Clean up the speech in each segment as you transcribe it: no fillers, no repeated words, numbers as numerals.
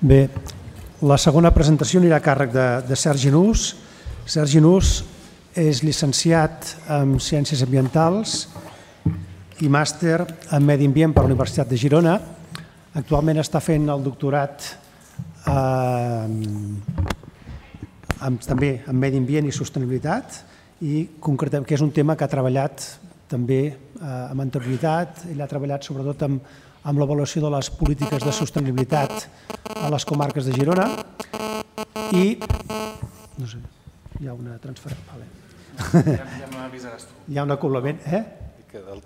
Bé, la segona presentació anirà a càrrec de Sergi Nus. Sergi Nus és llicenciat en Ciències Ambientals i màster en Medi Ambient per la Universitat de Girona. Actualment està fent el doctorat també en Medi Ambient i Sostenibilitat, i concretament que és un tema que ha treballat també amb anterioritat. Ell ha treballat sobretot amb l'avaluació de les polítiques de sostenibilitat a les comarques de Girona i no sé, hi ha una transferència. Ja m'avisaràs tu. Hi ha un acoblament,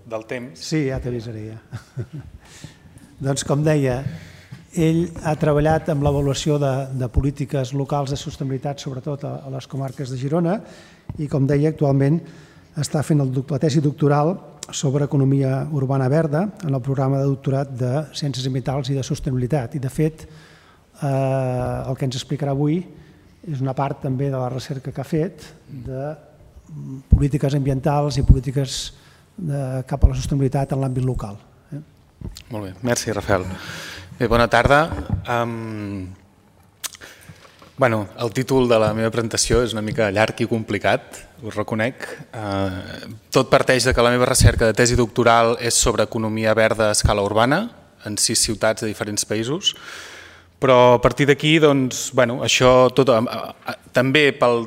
Del temps. Sí, ja t'avisaré ja. Doncs com deia, ell ha treballat amb l'avaluació de polítiques locals de sostenibilitat, sobretot a les comarques de Girona, i com deia, actualment està fent la tesi doctoral sobre economia urbana verda en el programa de doctorat de Ciències Ambientals i de Sostenibilitat. I de fet, el que ens explicarà avui és una part també de la recerca que ha fet de polítiques ambientals i polítiques cap a la sostenibilitat en l'àmbit local. Molt bé, merci Rafael. Bé, bona tarda. El títol de la meva presentació és una mica llarg i complicat, us reconec. Tot parteix que la meva recerca de tesi doctoral és sobre economia verda a escala urbana en 6 ciutats de diferents països, però a partir d'aquí, això tot, també pel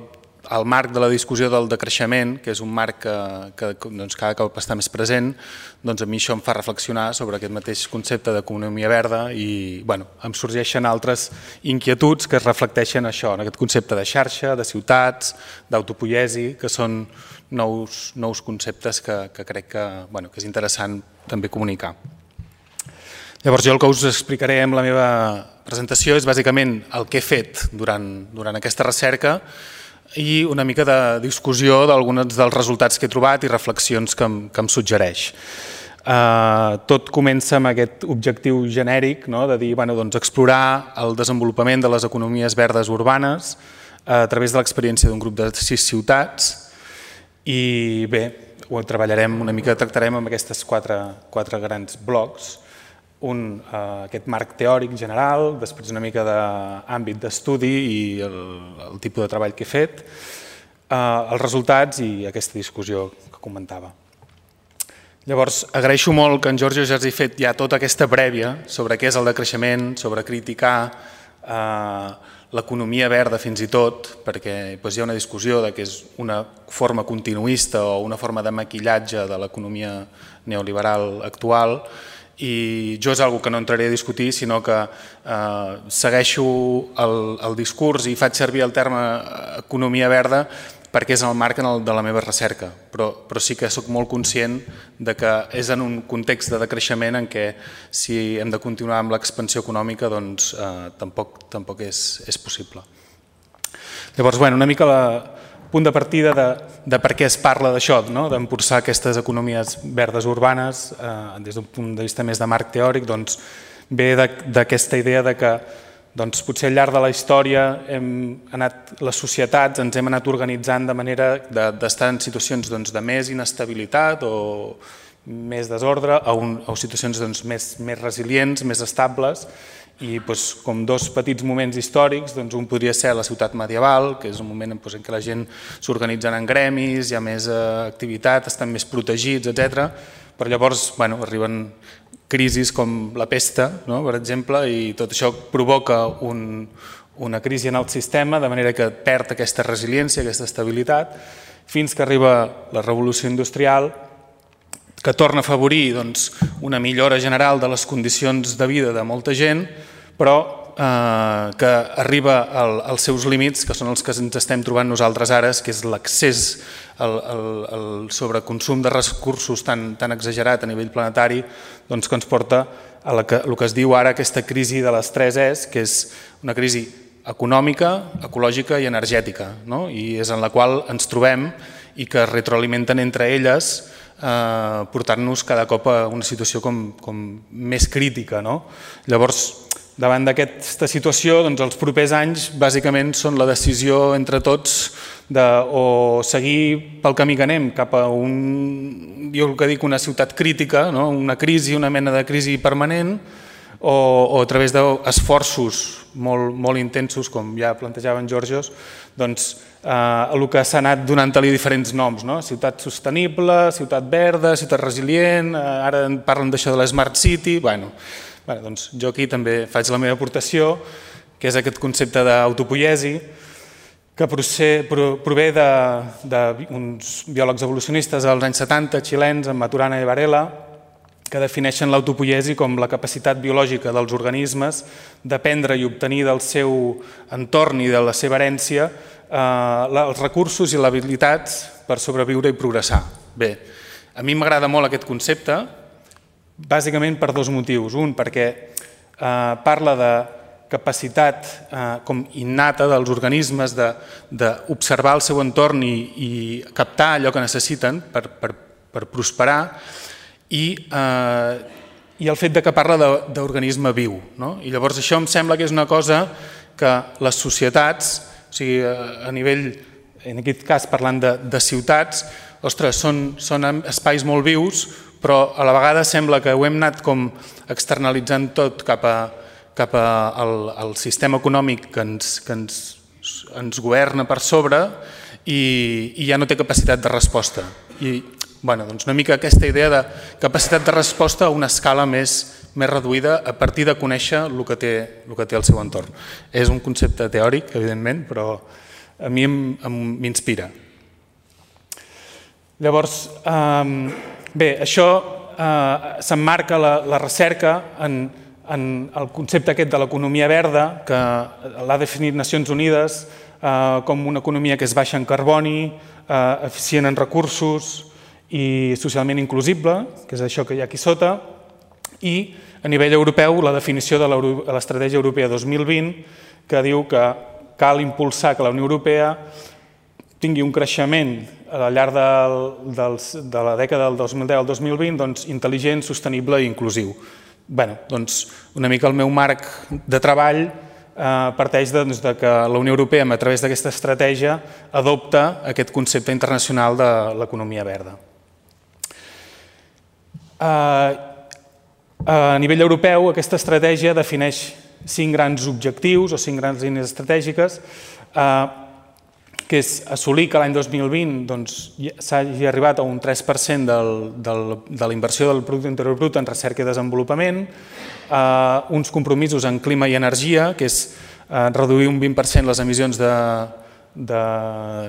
marc de la discussió del decreixement, que és un marc que cada cop està més present, a mi això em fa reflexionar sobre aquest mateix concepte d'economia verda i em sorgeixen altres inquietuds que es reflecteixen això, en aquest concepte de xarxa, de ciutats, d'autopoiesi, que són nous conceptes que crec que és interessant també comunicar. Llavors jo el que us explicaré en la meva presentació és bàsicament el que he fet durant aquesta recerca i una mica de discussió d'alguns dels resultats que he trobat i reflexions que em suggereix. Tot comença amb aquest objectiu genèric de dir, explorar el desenvolupament de les economies verdes urbanes a través de l'experiència d'un grup de 6 ciutats i bé, ho treballarem una mica, tractarem amb aquestes quatre grans blocs. Aquest marc teòric general, després una mica d'àmbit d'estudi i el tipus de treball que he fet, els resultats i aquesta discussió que comentava. Llavors, agraeixo molt que en Giorgio ja hagi fet ja tota aquesta prèvia sobre què és el decreixement, sobre criticar l'economia verda fins i tot, perquè hi ha una discussió que és una forma continuista o una forma de maquillatge de l'economia neoliberal actual, i jo és una cosa que no entraré a discutir, sinó que segueixo el discurs i faig servir el terme economia verda perquè és el marc de la meva recerca, però sí que soc molt conscient que és en un context de decreixement en què si hem de continuar amb l'expansió econòmica doncs tampoc és possible. Llavors, una mica el punt de partida de per què es parla d'això, d'impulsar aquestes economies verdes urbanes des d'un punt de vista més de marc teòric, ve d'aquesta idea que potser al llarg de la història les societats ens hem anat organitzant de manera d'estar en situacions de més inestabilitat o més desordre a situacions més resilients, més estables, i com dos petits moments històrics, un podria ser la ciutat medieval, que és un moment en què la gent s'organitza en gremis, hi ha més activitat, estan més protegits, etc. Però llavors arriben crisis com la pesta, per exemple, i tot això provoca una crisi en el sistema, de manera que perd aquesta resiliència, aquesta estabilitat, fins que arriba la revolució industrial, que torna a afavorir una millora general de les condicions de vida de molta gent, però que arriba als seus límits, que són els que ens estem trobant nosaltres ara, que és l'accés al sobreconsum de recursos tan exagerat a nivell planetari, que ens porta a el que es diu ara aquesta crisi de les 3 Es, que és una crisi econòmica, ecològica i energètica, i és en la qual ens trobem i que es retroalimenten entre elles, portant-nos cada cop a una situació com més crítica. Llavors, davant d'aquesta situació, els propers anys bàsicament són la decisió entre tots de o seguir pel camí que anem cap a jo el que dic una ciutat crítica, una crisi, una mena de crisi permanent, o a través d'esforços molt intensos, com ja plantejava en Georgios, doncs el que s'ha anat donant-li diferents noms, ciutat sostenible, ciutat verda, ciutat resilient, ara parlen d'això de l'Smart City. Doncs jo aquí també faig la meva aportació, que és aquest concepte d'autopoiesi, que prové d'uns biòlegs evolucionistes als anys 70, xilens, en Maturana i Varela, que defineixen l'autopoiesi com la capacitat biològica dels organismes d'aprendre i obtenir del seu entorn i de la seva herència els recursos i les habilitats per sobreviure i progressar. Bé, a mi m'agrada molt aquest concepte, bàsicament per dos motius. Un, perquè parla de capacitat com innata dels organismes d'observar el seu entorn i captar allò que necessiten per prosperar, i el fet que parla d'organisme viu. I llavors això em sembla que és una cosa que les societats, o sigui, a nivell, en aquest cas parlant de ciutats, ostres, són espais molt vius, però a la vegada sembla que ho hem anat com externalitzant tot cap al sistema econòmic que ens governa per sobre i ja no té capacitat de resposta. I doncs una mica aquesta idea de capacitat de resposta a una escala més reduïda a partir de conèixer el que té al seu entorn. És un concepte teòric, evidentment, però a mi m'inspira. Llavors, bé, això s'emmarca la recerca en el concepte aquest de l'economia verda, que l'ha definit Nacions Unides com una economia que és baixa en carboni, eficient en recursos i socialment inclusible, que és això que hi ha aquí sota, i a nivell europeu la definició de l'Estratègia Europea 2020, que diu que cal impulsar que la Unió Europea tingui un creixement al llarg de la dècada del 2010 al 2020 intel·ligent, sostenible i inclusiu. Doncs una mica el meu marc de treball parteix que la Unió Europea, a través d'aquesta estratègia, adopta aquest concepte internacional de l'economia verda. A nivell europeu, aquesta estratègia defineix 5 grans objectius o 5 grans línies estratègiques, que és assolir que l'any 2020 s'hagi arribat a un 3% de la inversió del Producte Interior Brut en recerca i desenvolupament, uns compromisos en clima i energia, que és reduir un 20% les emissions de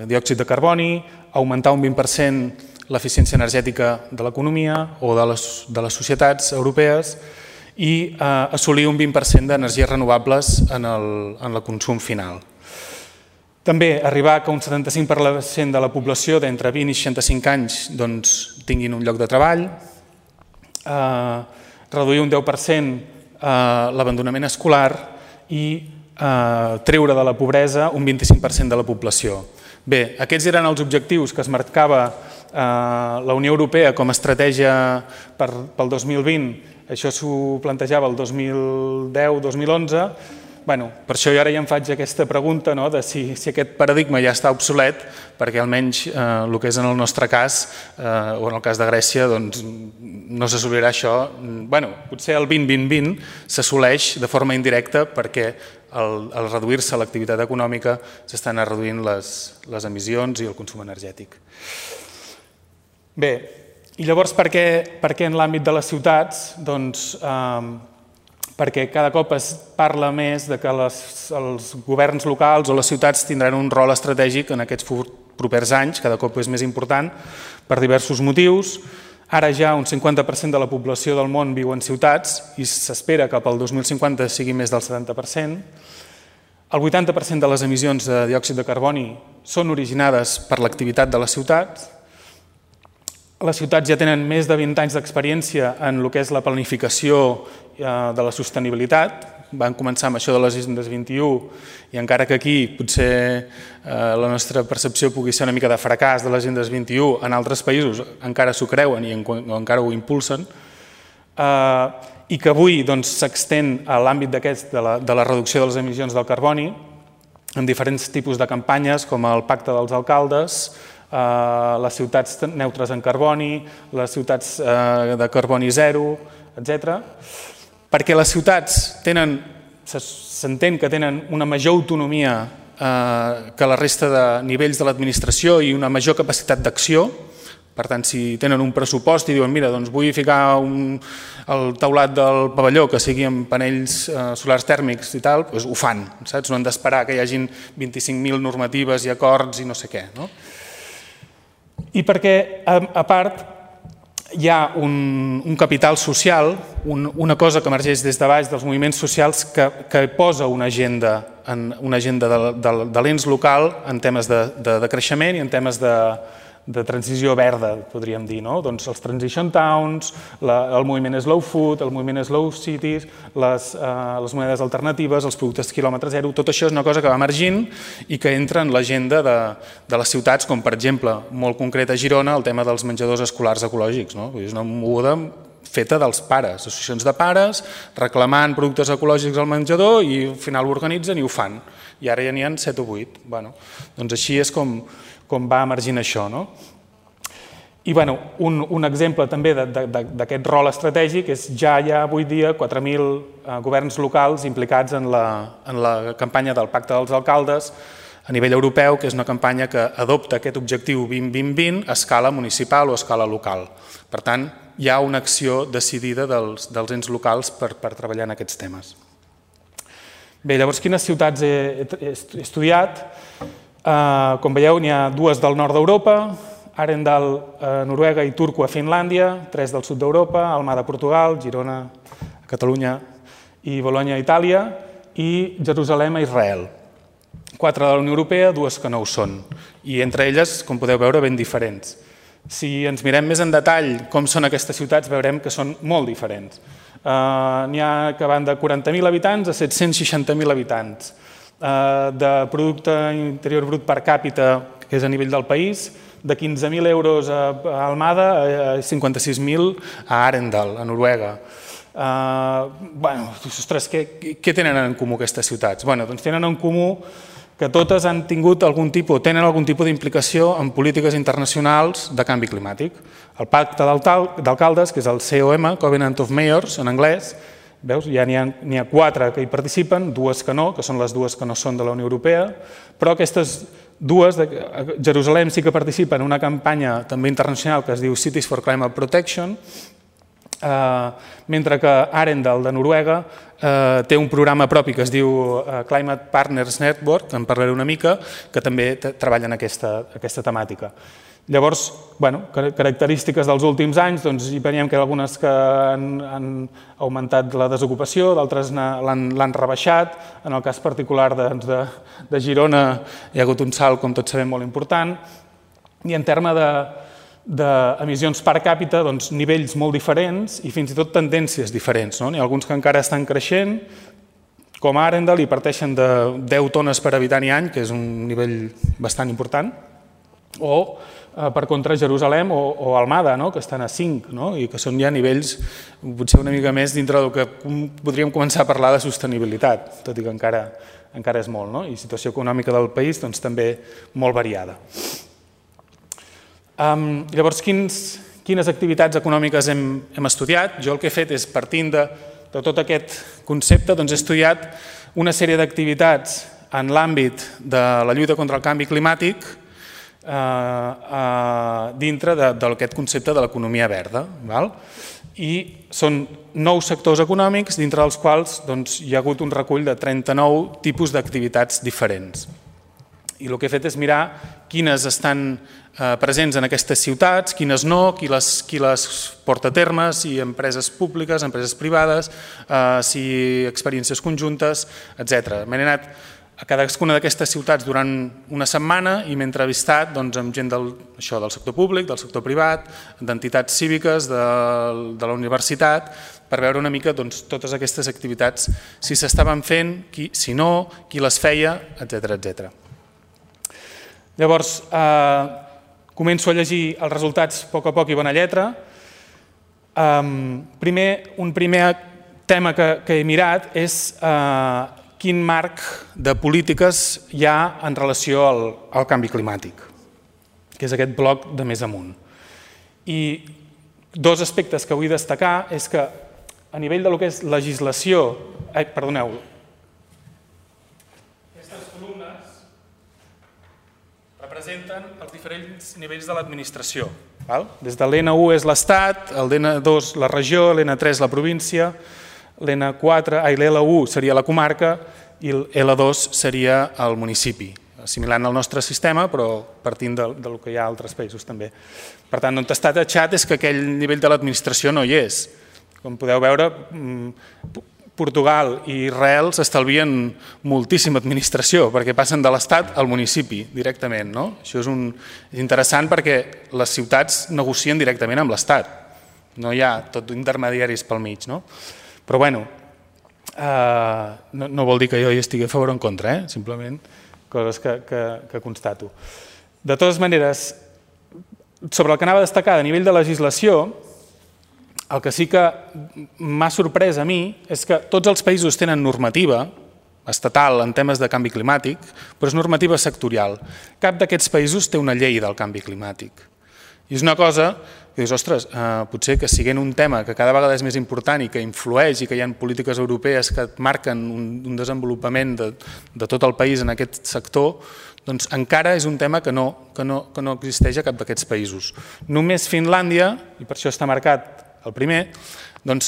diòxid de carboni, augmentar un 20% l'eficiència energètica de l'economia o de les societats europees i assolir un 20% d'energies renovables en el consum final. També arribar que un 75% de la població d'entre 20 i 65 anys tinguin un lloc de treball, reduir un 10% l'abandonament escolar i treure de la pobresa un 25% de la població. Bé, aquests eren els objectius que es marcava la Unió Europea com a estratègia pel 2020. Això s'ho plantejava el 2010-2011. Per això jo ara ja em faig aquesta pregunta de si aquest paradigma ja està obsolet, perquè almenys el que és en el nostre cas, o en el cas de Grècia, no s'assolirà això. Potser el 20-20-20 s'assoleix de forma indirecta perquè al reduir-se l'activitat econòmica s'estan reduint les emissions i el consum energètic. Bé, i llavors per què en l'àmbit de les ciutats? Perquè cada cop es parla més que els governs locals o les ciutats tindran un rol estratègic en aquests propers anys, cada cop és més important per diversos motius. Ara ja un 50% de la població del món viu en ciutats i s'espera que pel 2050 sigui més del 70%. El 80% de les emissions de diòxid de carboni són originades per l'activitat de les ciutats. Les ciutats ja tenen més de 20 anys d'experiència en el que és la planificació de la sostenibilitat. Van començar amb això de les Agendes 21 i encara que aquí potser la nostra percepció pugui ser una mica de fracàs de les Agendes 21, en altres països encara s'ho creuen i encara ho impulsen, i que avui s'extén a l'àmbit de la reducció de les emissions del carboni en diferents tipus de campanyes com el Pacte dels Alcaldes, les ciutats neutres en carboni, les ciutats de carboni zero, etc. perquè les ciutats s'entén que tenen una major autonomia que la resta de nivells de l'administració i una major capacitat d'acció. Per tant, si tenen un pressupost i diuen, mira, doncs vull ficar el teulat del pavelló que sigui amb panells solars tèrmics i tal, doncs ho fan, saps? No han d'esperar que hi hagin 25.000 normatives i acords i no sé què. I perquè, a part, hi ha un capital social, una cosa que emergeix des de baix dels moviments socials que posa una agenda de l'ens local en temes de creixement i en temes de transició verda, podríem dir. Doncs els transition towns, el moviment slow food, el moviment slow cities, les monedes alternatives, els productes quilòmetre zero, tot això és una cosa que va emergint i que entra en l'agenda de les ciutats, com per exemple, molt concret a Girona, el tema dels menjadors escolars ecològics. És una moguda feta dels pares, associacions de pares, reclamant productes ecològics al menjador i al final ho organitzen i ho fan. I ara ja n'hi ha 7 o 8. Doncs així és com va emergint això. I un exemple també d'aquest rol estratègic és ja hi ha avui dia 4.000 governs locals implicats en la campanya del Pacte dels Alcaldes a nivell europeu, que és una campanya que adopta aquest objectiu 20-20-20 a escala municipal o a escala local. Per tant, hi ha una acció decidida dels ens locals per treballar en aquests temes. Bé, llavors, quines ciutats he estudiat? Com veieu, n'hi ha 2 del nord d'Europa, Arendal a Noruega i Turku a Finlàndia, 3 del sud d'Europa, Almada a Portugal, Girona a Catalunya i Bologna a Itàlia i Jerusalem a Israel. 4 de la Unió Europea, 2 que no ho són. I entre elles, com podeu veure, ben diferents. Si ens mirem més en detall com són aquestes ciutats, veurem que són molt diferents. N'hi ha que van de 40.000 habitants a 760.000 habitants. De producte interior brut per càpita, que és a nivell del país, de 15.000 euros a Almada a 56.000 a Arendal, a Noruega. Ostres, què tenen en comú aquestes ciutats? Doncs tenen en comú que totes han tingut tenen algun tipus d'implicació en polítiques internacionals de canvi climàtic. El Pacte d'Alcaldes, que és el COM, Covenant of Mayors, en anglès, veus, ja n'hi ha 4 que hi participen, 2 que no, que són les 2 que no són de la Unió Europea, però aquestes 2, Jerusalem sí que participa en una campanya també internacional que es diu Cities for Climate Protection, mentre que Arendal, de Noruega, té un programa propi que es diu Climate Partners Network, en parlaré una mica, que també treballa en aquesta temàtica. Llavors, característiques dels últims anys, hi veiem que hi ha algunes que han augmentat la desocupació, d'altres l'han rebaixat. En el cas particular de Girona hi ha hagut un salt, com tots sabem, molt important. I en termes d'emissions per càpita, nivells molt diferents i fins i tot tendències diferents. N'hi ha alguns que encara estan creixent, com a Arendal, i parteixen de 10 tones per habitant i any, que és un nivell bastant important, o per contra Jerusalem o Almada, que estan a 5 i que són ja nivells potser una mica més dintre del que podríem començar a parlar de sostenibilitat, tot i que encara és molt, i situació econòmica del país també molt variada. Llavors, quines activitats econòmiques hem estudiat? Jo el que he fet és, partint de tot aquest concepte, he estudiat una sèrie d'activitats en l'àmbit de la lluita contra el canvi climàtic dintre d'aquest concepte de l'economia verda. I són 9 sectors econòmics, dintre dels quals hi ha hagut un recull de 39 tipus d'activitats diferents. I el que he fet és mirar quines estan presents en aquestes ciutats, quines no, qui les porta a terme, si empreses públiques, empreses privades, si experiències conjuntes, etc. M'he anat a cadascuna d'aquestes ciutats durant una setmana i m'he entrevistat amb gent del sector públic, del sector privat, d'entitats cíviques, de la universitat, per veure una mica totes aquestes activitats, si s'estaven fent, si no, qui les feia, etc. Llavors, començo a llegir els resultats a poc i bona lletra. Un primer tema que he mirat és quin marc de polítiques hi ha en relació al canvi climàtic, que és aquest bloc de més amunt. I 2 aspectes que vull destacar és que a nivell del que és legislació... Perdoneu. Aquestes columnes representen els diferents nivells de l'administració. Des de l'N1 és l'Estat, el l'N2 la regió, l'N3 la província, l'L1 seria la comarca i l'L2 seria el municipi, assimilant el nostre sistema, però partint del que hi ha a altres països també. Per tant, on està tatxat és que aquell nivell de l'administració no hi és. Com podeu veure, Portugal i Israel s'estalvien moltíssima administració perquè passen de l'Estat al municipi directament. Això és interessant perquè les ciutats negocien directament amb l'Estat. No hi ha tot intermediaris pel mig. Però bueno, no vol dir que jo hi estigui a favor o en contra, simplement coses que constato. De totes maneres, sobre el que anava a destacar a nivell de legislació, el que sí que m'ha sorprès a mi és que tots els països tenen normativa estatal en temes de canvi climàtic, però és normativa sectorial. Cap d'aquests països té una llei del canvi climàtic. I és una cosa que dius, ostres, potser que siguent un tema que cada vegada és més important i que influeix i que hi ha polítiques europees que marquen un desenvolupament de tot el país en aquest sector, doncs encara és un tema que no existeix a cap d'aquests països. Només Finlàndia, i per això està marcat el primer, doncs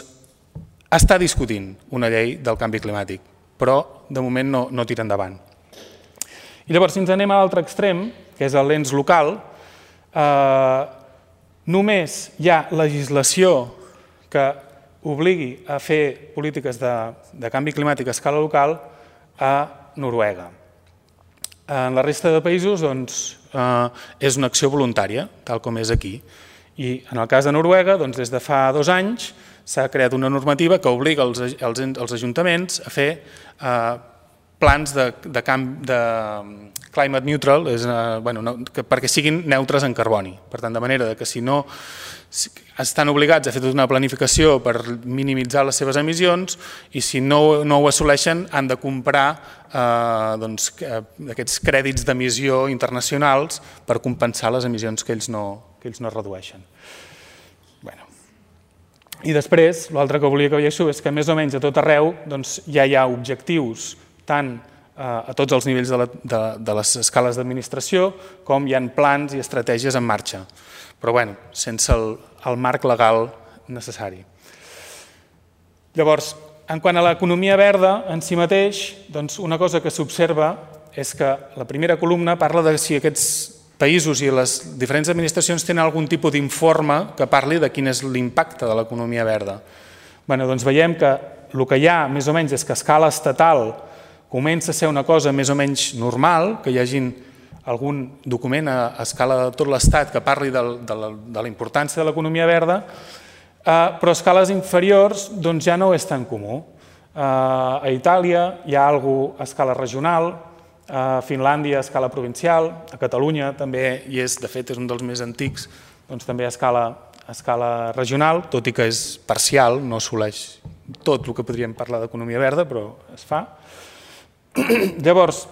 està discutint una llei del canvi climàtic, però de moment no tira endavant. I llavors, si ens anem a l'altre extrem, que és l'ens local, només hi ha legislació que obligui a fer polítiques de canvi climàtic a escala local a Noruega. En la resta de països és una acció voluntària, tal com és aquí. I en el cas de Noruega, des de fa 2 anys, s'ha creat una normativa que obliga els ajuntaments a fer plans de climate neutral, perquè siguin neutres en carboni. Per tant, de manera que si no estan obligats a fer tota una planificació per minimitzar les seves emissions i si no ho assoleixen han de comprar aquests crèdits d'emissió internacionals per compensar les emissions que ells no redueixen. I després, l'altre que volia que veiéssiu és que més o menys a tot arreu ja hi ha objectius tant a tots els nivells de les escales d'administració com hi ha plans i estratègies en marxa, però sense el marc legal necessari. Llavors, en quant a l'economia verda en si mateix, una cosa que s'observa és que la primera columna parla de si aquests països i les diferents administracions tenen algun tipus d'informe que parli de quin és l'impacte de l'economia verda. Veiem que el que hi ha més o menys és que a escala estatal comença a ser una cosa més o menys normal, que hi hagi algun document a escala de tot l'Estat que parli de la importància de l'economia verda, però a escales inferiors ja no és tan comú. A Itàlia hi ha alguna cosa a escala regional, a Finlàndia a escala provincial, a Catalunya també hi és, de fet és un dels més antics, també a escala regional, tot i que és parcial, no assoleix tot el que podríem parlar d'economia verda, però es fa. Llavors,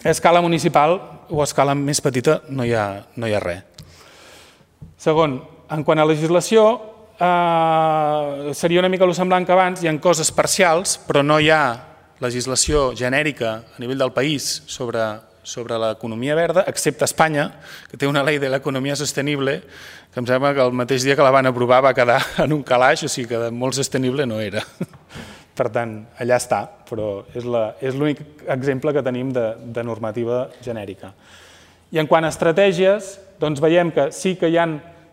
a escala municipal o a escala més petita no hi ha res. Segon, en quant a legislació, seria una mica el semblant que abans, hi ha coses parcials, però no hi ha legislació genèrica a nivell del país sobre l'economia verda, excepte Espanya, que té una llei de l'economia sostenible, que em sembla que el mateix dia que la van aprovar va quedar en un calaix, o sigui que molt sostenible no era. Per tant, allà està, però és l'únic exemple que tenim de normativa genèrica. I en quant a estratègies, veiem que sí que hi ha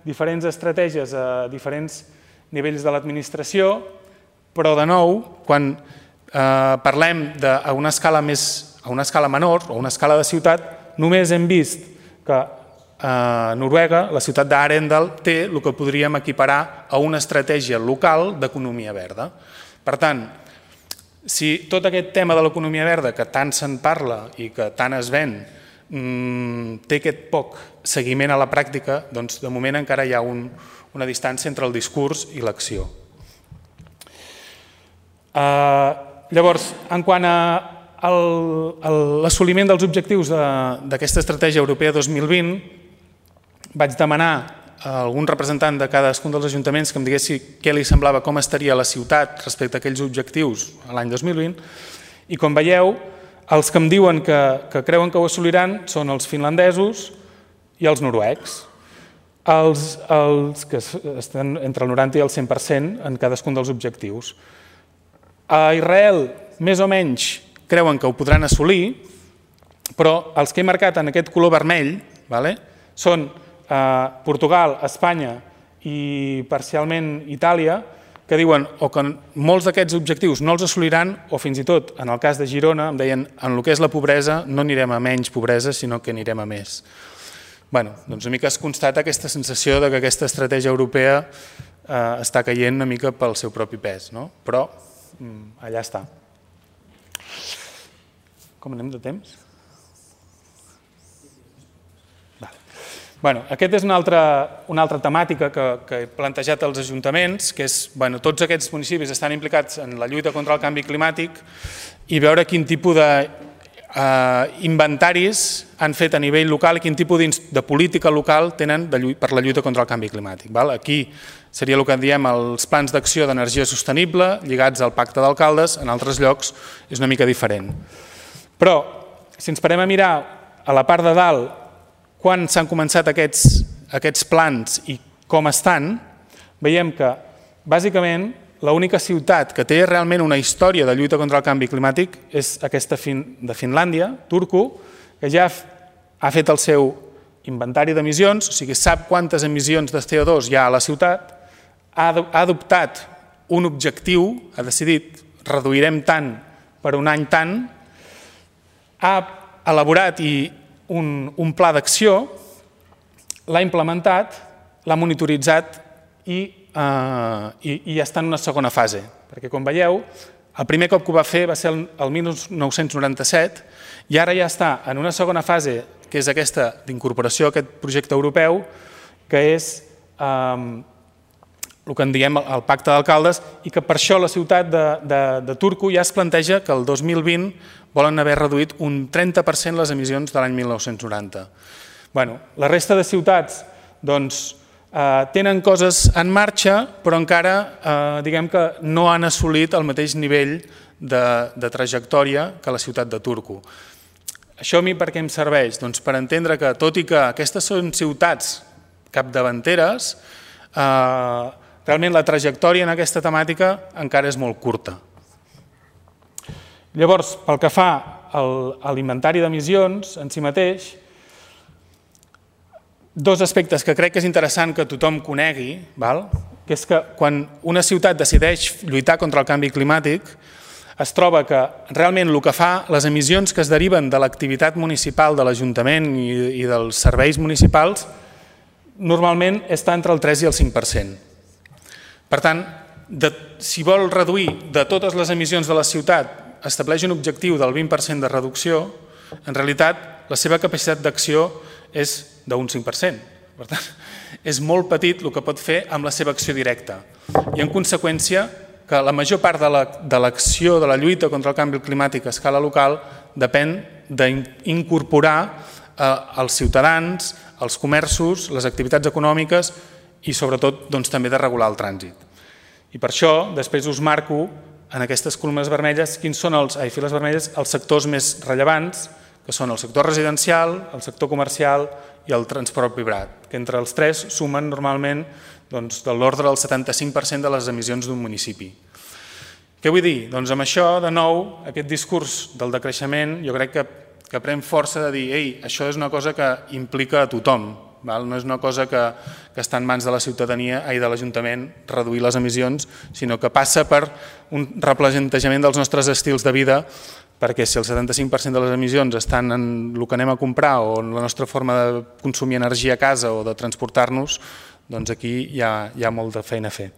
diferents estratègies a diferents nivells de l'administració, però de nou, quan parlem a una escala menor o a una escala de ciutat, només hem vist que a Noruega, la ciutat d'Arendal, té el que podríem equiparar a una estratègia local d'economia verda. Per tant, si tot aquest tema de l'economia verda, que tant se'n parla i que tant es ven, té aquest poc seguiment a la pràctica, doncs de moment encara hi ha una distància entre el discurs i l'acció. Llavors, en quant a l'assoliment dels objectius d'aquesta estratègia europea 2020, vaig demanar algun representant de cadascun dels ajuntaments que em diguessi què li semblava, com estaria la ciutat respecte a aquells objectius a l'any 2020, i com veieu, els que em diuen que creuen que ho assoliran són els finlandesos i els noruecs, els que estan entre el 90 i el 100% en cadascun dels objectius. A Israel, més o menys, creuen que ho podran assolir, però els que he marcat en aquest color vermell són Portugal, Espanya i parcialment Itàlia, que diuen o que molts d'aquests objectius no els assoliran o fins i tot, en el cas de Girona, em deien en el que és la pobresa no anirem a menys pobresa, sinó que anirem a més. Bé, doncs una mica es constata aquesta sensació que aquesta estratègia europea està caient una mica pel seu propi pes, però allà està. Com anem de temps? Aquesta és una altra temàtica que he plantejat als ajuntaments, que és que tots aquests municipis estan implicats en la lluita contra el canvi climàtic i veure quin tipus d'inventaris han fet a nivell local i quin tipus de política local tenen per la lluita contra el canvi climàtic. Aquí seria el que en diem els plans d'acció d'energia sostenible lligats al pacte d'alcaldes, en altres llocs és una mica diferent. Però, si ens parem a mirar a la part de dalt quan s'han començat aquests plans i com estan, veiem que, bàsicament, l'única ciutat que té realment una història de lluita contra el canvi climàtic és aquesta de Finlàndia, Turku, que ja ha fet el seu inventari d'emissions, o sigui, sap quantes emissions de CO2 hi ha a la ciutat, ha adoptat un objectiu, ha decidit reduirem tant per un any tant, ha elaborat un pla d'acció, l'ha implementat, l'ha monitoritzat i ja està en una segona fase. Perquè, com veieu, el primer cop que ho va fer va ser el 1997 i ara ja està en una segona fase, que és aquesta d'incorporació a aquest projecte europeu, que és el que en diem el pacte d'alcaldes i que per això la ciutat de Turku ja es planteja que el 2020 volen haver reduït un 30% les emissions de l'any 1990. La resta de ciutats tenen coses en marxa, però encara diguem que no han assolit el mateix nivell de trajectòria que la ciutat de Turku. Això a mi per què em serveix? Doncs per entendre que, tot i que aquestes són ciutats capdavanteres, realment la trajectòria en aquesta temàtica encara és molt curta. Llavors, pel que fa a l'inventari d'emissions en si mateix, dos aspectes que crec que és interessant que tothom conegui, que és que quan una ciutat decideix lluitar contra el canvi climàtic, es troba que realment el que fa, les emissions que es deriven de l'activitat municipal de l'Ajuntament i dels serveis municipals, normalment està entre el 3 i el 5%. Per tant, si vol reduir de totes les emissions de la ciutat, estableix un objectiu del 20% de reducció, en realitat la seva capacitat d'acció és d'un 5%. Per tant, és molt petit el que pot fer amb la seva acció directa. I en conseqüència que la major part de l'acció de la lluita contra el canvi climàtic a escala local depèn d'incorporar els ciutadans, els comerços, les activitats econòmiques i sobretot també de regular el trànsit. I per això després us marco en aquestes columnes vermelles quins són els sectors més rellevants, que són el sector residencial, el sector comercial i el transport privat, que entre els tres sumen normalment de l'ordre del 75% de les emissions d'un municipi. Què vull dir? Doncs amb això, de nou, aquest discurs del decreixement jo crec que pren força de dir això és una cosa que implica a tothom, no és una cosa que està en mans de la ciutadania i de l'Ajuntament reduir les emissions, sinó que passa per un replantejament dels nostres estils de vida, perquè si el 75% de les emissions estan en el que anem a comprar o en la nostra forma de consumir energia a casa o de transportar-nos, doncs aquí hi ha molta feina a fer.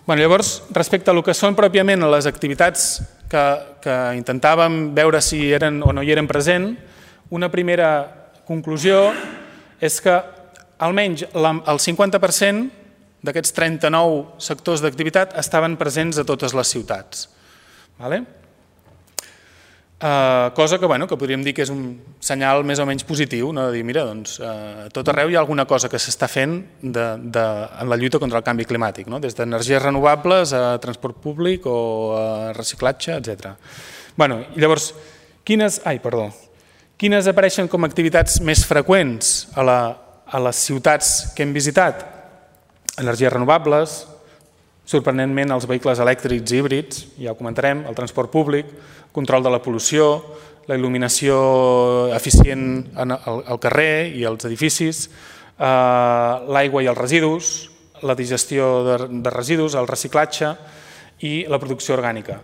Llavors, respecte a el que són pròpiament les activitats que intentàvem veure si eren o no hi eren present, una primera conclusió és que almenys el 50% d'aquests 39 sectors d'activitat estaven presents a totes les ciutats. Cosa que podríem dir que és un senyal més o menys positiu, de dir, mira, doncs, a tot arreu hi ha alguna cosa que s'està fent en la lluita contra el canvi climàtic, des d'energies renovables a transport públic o a reciclatge, etc. Llavors, quines apareixen com a activitats més freqüents a les ciutats que hem visitat? Energies renovables, sorprenentment els vehicles elèctrics i híbrids, ja ho comentarem, el transport públic, control de la pol·lució, la il·luminació eficient al carrer i als edificis, l'aigua i els residus, la digestió de residus, el reciclatge i la producció orgànica.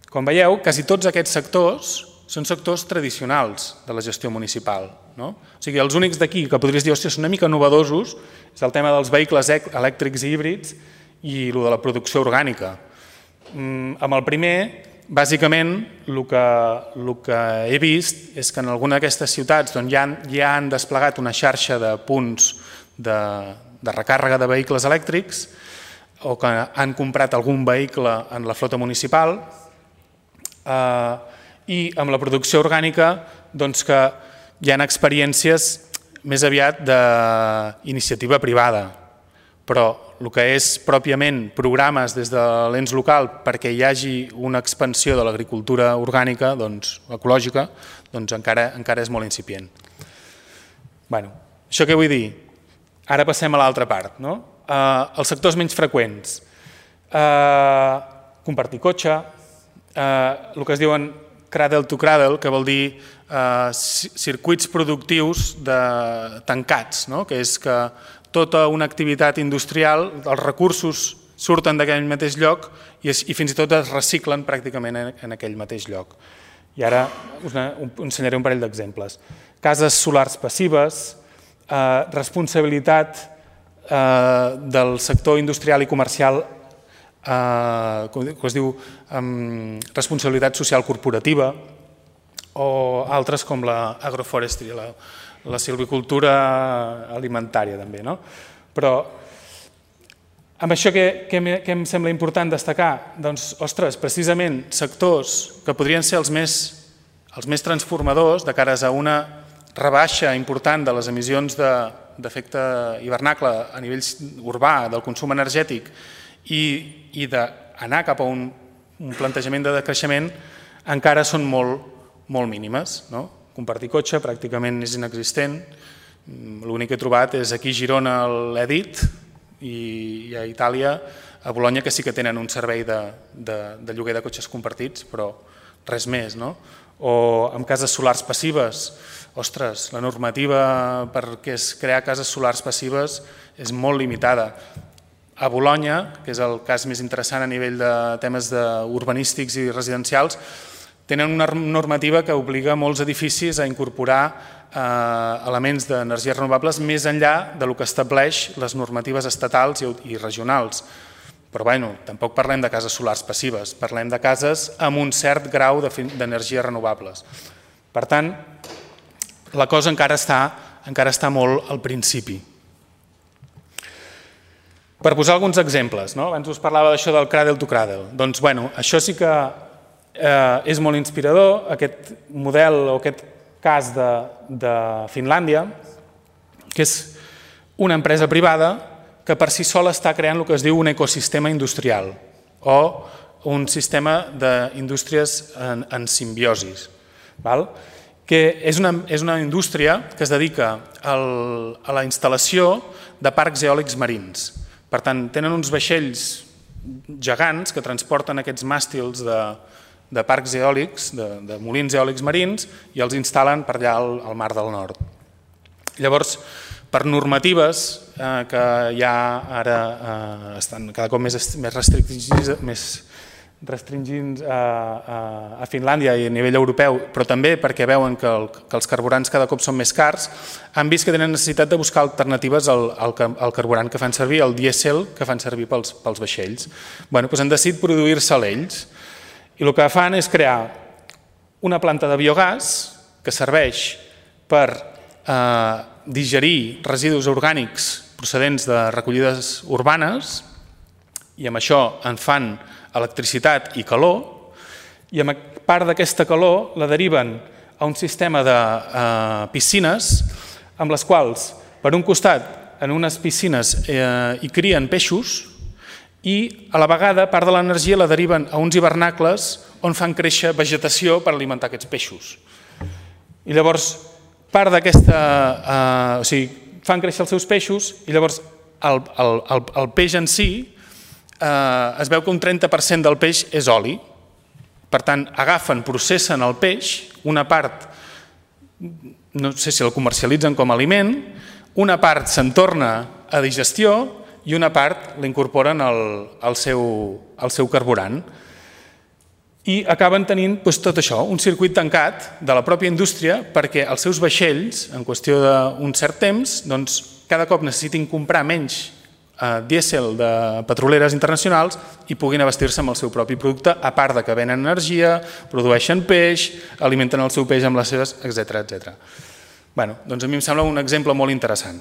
Com veieu, quasi tots aquests sectors són sectors tradicionals de la gestió municipal. O sigui, els únics d'aquí que podries dir, són una mica novedosos, és el tema dels vehicles elèctrics i híbrids i el de la producció orgànica. Amb el primer, bàsicament, el que he vist és que en alguna d'aquestes ciutats ja han desplegat una xarxa de punts de recàrrega de vehicles elèctrics o que han comprat algun vehicle en la flota municipal i amb la producció orgànica que hi ha experiències més aviat d'iniciativa privada, però el que és pròpiament programes des de l'ens local perquè hi hagi una expansió de l'agricultura orgànica, ecològica, encara és molt incipient. Això què vull dir? Ara passem a l'altra part. Els sectors menys freqüents. Compartir cotxe, el que es diuen cradle to cradle, que vol dir circuits productius tancats, que és que tota una activitat industrial, els recursos surten d'aquell mateix lloc i fins i tot es reciclen pràcticament en aquell mateix lloc. I ara us ensenyaré un parell d'exemples. Cases solars passives, responsabilitat del sector industrial i comercial, que es diu responsabilitat social corporativa, o altres com l'agroforestry, la silvicultura alimentària també. Però amb això què em sembla important destacar? Doncs, ostres, precisament sectors que podrien ser els més transformadors de cares a una rebaixa important de les emissions d'efecte hivernacle a nivell urbà, del consum energètic i d'anar cap a un plantejament de decreixement, encara són molt mínimes. Compartir cotxe pràcticament és inexistent. L'únic que he trobat és aquí a Girona l'Edit i a Itàlia, a Bologna, que sí que tenen un servei de lloguer de cotxes compartits, però res més. O amb cases solars passives, ostres, la normativa per crear cases solars passives és molt limitada. A Bologna, que és el cas més interessant a nivell de temes urbanístics i residencials, tenen una normativa que obliga molts edificis a incorporar elements d'energies renovables més enllà del que estableix les normatives estatals i regionals. Però tampoc parlem de cases solars passives, parlem de cases amb un cert grau d'energies renovables. Per tant, la cosa encara està molt al principi. Per posar alguns exemples, abans us parlava d'això del cradle to cradle, doncs això sí que és molt inspirador, aquest model o aquest cas de Finlàndia, que és una empresa privada que per si sola està creant el que es diu un ecosistema industrial o un sistema d'indústries en simbiosis, que és una indústria que es dedica a la instal·lació de parcs eòlics marins. Per tant, tenen uns vaixells gegants que transporten aquests màstils de parcs eòlics, de molins eòlics marins, i els instal·len per allà al Mar del Nord. Llavors, per normatives que ja ara estan cada cop més restringits a Finlàndia i a nivell europeu, però també perquè veuen que els carburants cada cop són més cars, han vist que tenen necessitat de buscar alternatives al carburant que fan servir, el dièsel que fan servir pels vaixells. Doncs han decidit produir-se'l ells. I el que fan és crear una planta de biogàs que serveix per digerir residus orgànics procedents de recollides urbanes i amb això en fan electricitat i calor i amb part d'aquesta calor la deriven a un sistema de piscines amb les quals, per un costat, en unes piscines hi crien peixos i a la vegada part de l'energia la deriven a uns hivernacles on fan créixer vegetació per alimentar aquests peixos. I llavors, part d'aquesta... O sigui, fan créixer els seus peixos i llavors el peix en si es veu que un 30% del peix és oli. Per tant, agafen, processen el peix, una part, no sé si el comercialitzen com a aliment, una part se'n torna a digestió i una part l'incorporen al seu carburant. I acaben tenint tot això, un circuit tancat de la pròpia indústria perquè els seus vaixells, en qüestió d'un cert temps, cada cop necessitin comprar menys dièsel de petroleres internacionals i puguin abastir-se amb el seu propi producte, a part que venen energia, produeixen peix, alimenten el seu peix amb les seves, etc. Bé, doncs a mi em sembla un exemple molt interessant.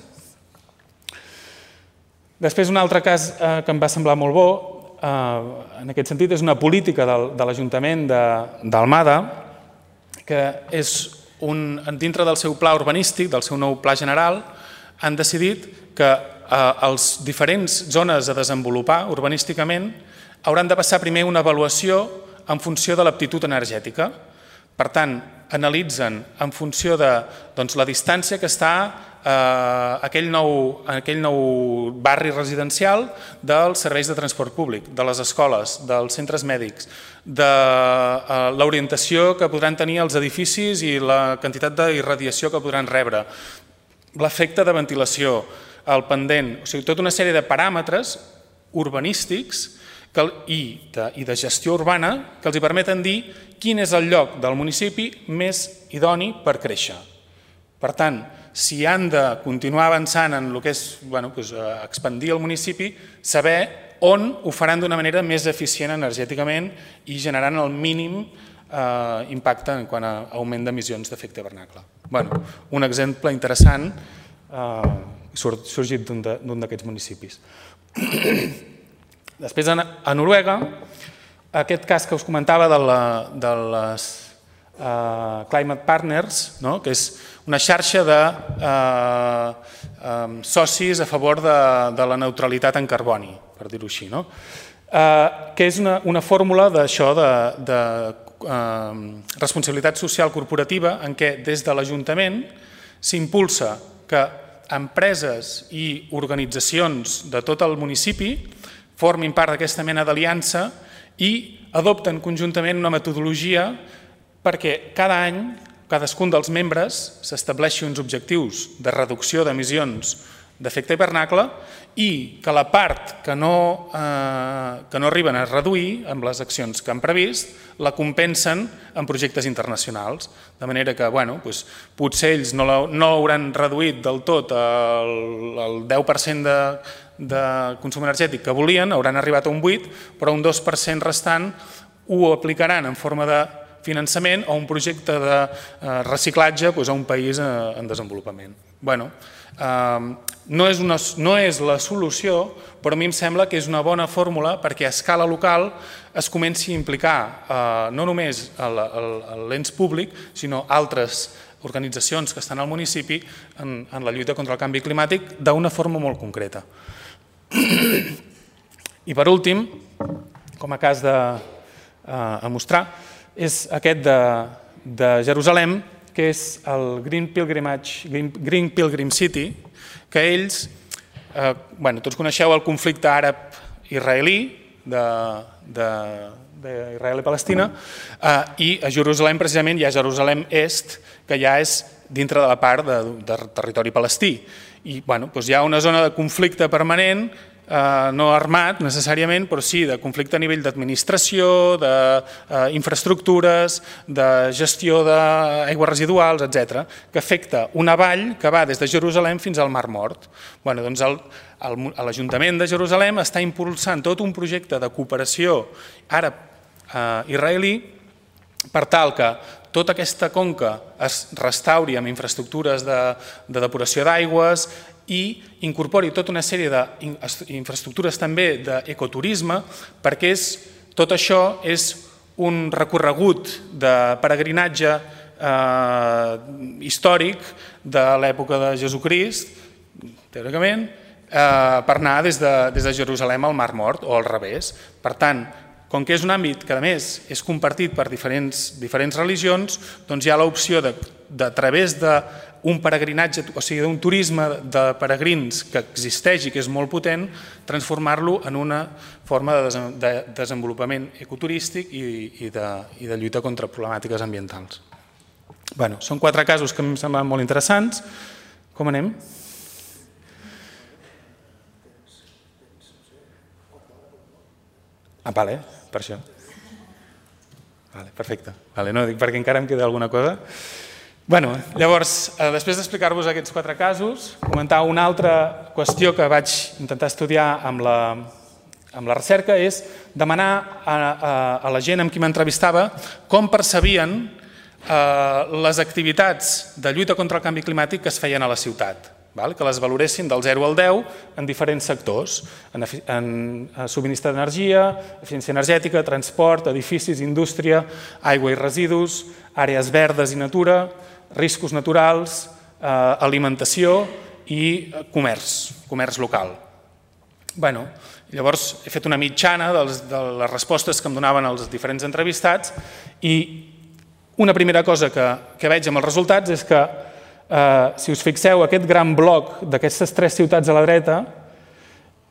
Després, un altre cas que em va semblar molt bo, en aquest sentit, és una política de l'Ajuntament d'Almada, que és dintre del seu pla urbanístic, del seu nou pla general, han decidit que les diferents zones a desenvolupar urbanísticament hauran de passar primer una avaluació en funció de l'aptitud energètica. Per tant, analitzen en funció de la distància que està aquell nou barri residencial dels serveis de transport públic, de les escoles, dels centres mèdics, de l'orientació que podran tenir els edificis i la quantitat d'irradiació que podran rebre, l'efecte de ventilació, el pendent, o sigui, tota una sèrie de paràmetres urbanístics i de gestió urbana que els permeten dir quin és el lloc del municipi més idoni per créixer. Per tant, si han de continuar avançant en el que és expandir el municipi, saber on ho faran d'una manera més eficient energèticament i generant el mínim impacte en quant a augment d'emissions d'efecte hivernacle. Un exemple interessant sorgit d'un d'aquests municipis. Després, a Noruega, aquest cas que us comentava de les Climate Partners, que és una xarxa de socis a favor de la neutralitat en carboni, per dir-ho així, que és una fórmula d'això de responsabilitat social corporativa en què des de l'Ajuntament s'impulsa que empreses i organitzacions de tot el municipi formin part d'aquesta mena d'aliança i adopten conjuntament una metodologia perquè cada any cadascun dels membres s'estableixi uns objectius de reducció d'emissions d'efecte hivernacle i que la part que no arriben a reduir amb les accions que han previst la compensen en projectes internacionals. De manera que potser ells no hauran reduït del tot el 10% de consum energètic que volien, hauran arribat a un 8%, però un 2% restant ho aplicaran en forma de finançament a un projecte de reciclatge a un país en desenvolupament. No és la solució, però a mi em sembla que és una bona fórmula perquè a escala local es comenci a implicar no només l'ens públic, sinó altres organitzacions que estan al municipi en la lluita contra el canvi climàtic d'una forma molt concreta. I per últim, com a cas a mostrar, és aquest de Jerusalem, que és el Green Pilgrim City, que ells, tots coneixeu el conflicte àrab-israelí d'Israel i Palestina, i a Jerusalem precisament hi ha Jerusalem Est, que ja és dintre de la part de territori palestí. I hi ha una zona de conflicte permanent, no armat necessàriament, però sí de conflicte a nivell d'administració, d'infraestructures, de gestió d'aigües residuals, etc., que afecta una vall que va des de Jerusalem fins al Mar Mort. L'Ajuntament de Jerusalem està impulsant tot un projecte de cooperació àrab-israelí per tal que tota aquesta conca es restauri amb infraestructures de depuració d'aigües i incorpori tota una sèrie d'infraestructures també d'ecoturisme, perquè tot això és un recorregut de peregrinatge històric de l'època de Jesucrist, teòricament, per anar des de Jerusalem al Mar Mort o al revés. Per tant, com que és un àmbit que a més és compartit per diferents religions, doncs hi ha l'opció de a través d'un peregrinatge, o sigui, d'un turisme de peregrins que existeix i que és molt potent, transformar-lo en una forma de desenvolupament ecoturístic i de lluita contra problemàtiques ambientals. Bé, són 4 casos que em semblen molt interessants. Com anem? Vale, per això. Vale, perfecte. Vale, no, dic perquè encara em queda alguna cosa. Llavors, després d'explicar-vos aquests 4 casos, comentar una altra qüestió que vaig intentar estudiar amb la recerca és demanar a la gent amb qui m'entrevistava com percebien les activitats de lluita contra el canvi climàtic que es feien a la ciutat, que les valoressin del 0 al 10 en diferents sectors, en subministre d'energia, eficiència energètica, transport, edificis, indústria, aigua i residus, àrees verdes i natura, riscos naturals, alimentació i comerç local. Llavors he fet una mitjana de les respostes que em donaven els diferents entrevistats i una primera cosa que veig amb els resultats és que, si us fixeu, aquest gran bloc d'aquestes 3 ciutats a la dreta,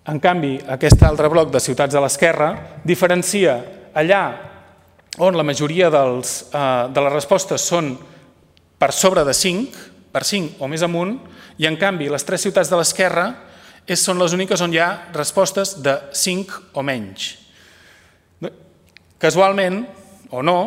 en canvi, aquest altre bloc de ciutats a l'esquerra, diferencia allà on la majoria de les respostes són per sobre de 5, per 5 o més amunt, i en canvi les 3 ciutats de l'esquerra són les úniques on hi ha respostes de 5 o menys. Casualment, o no,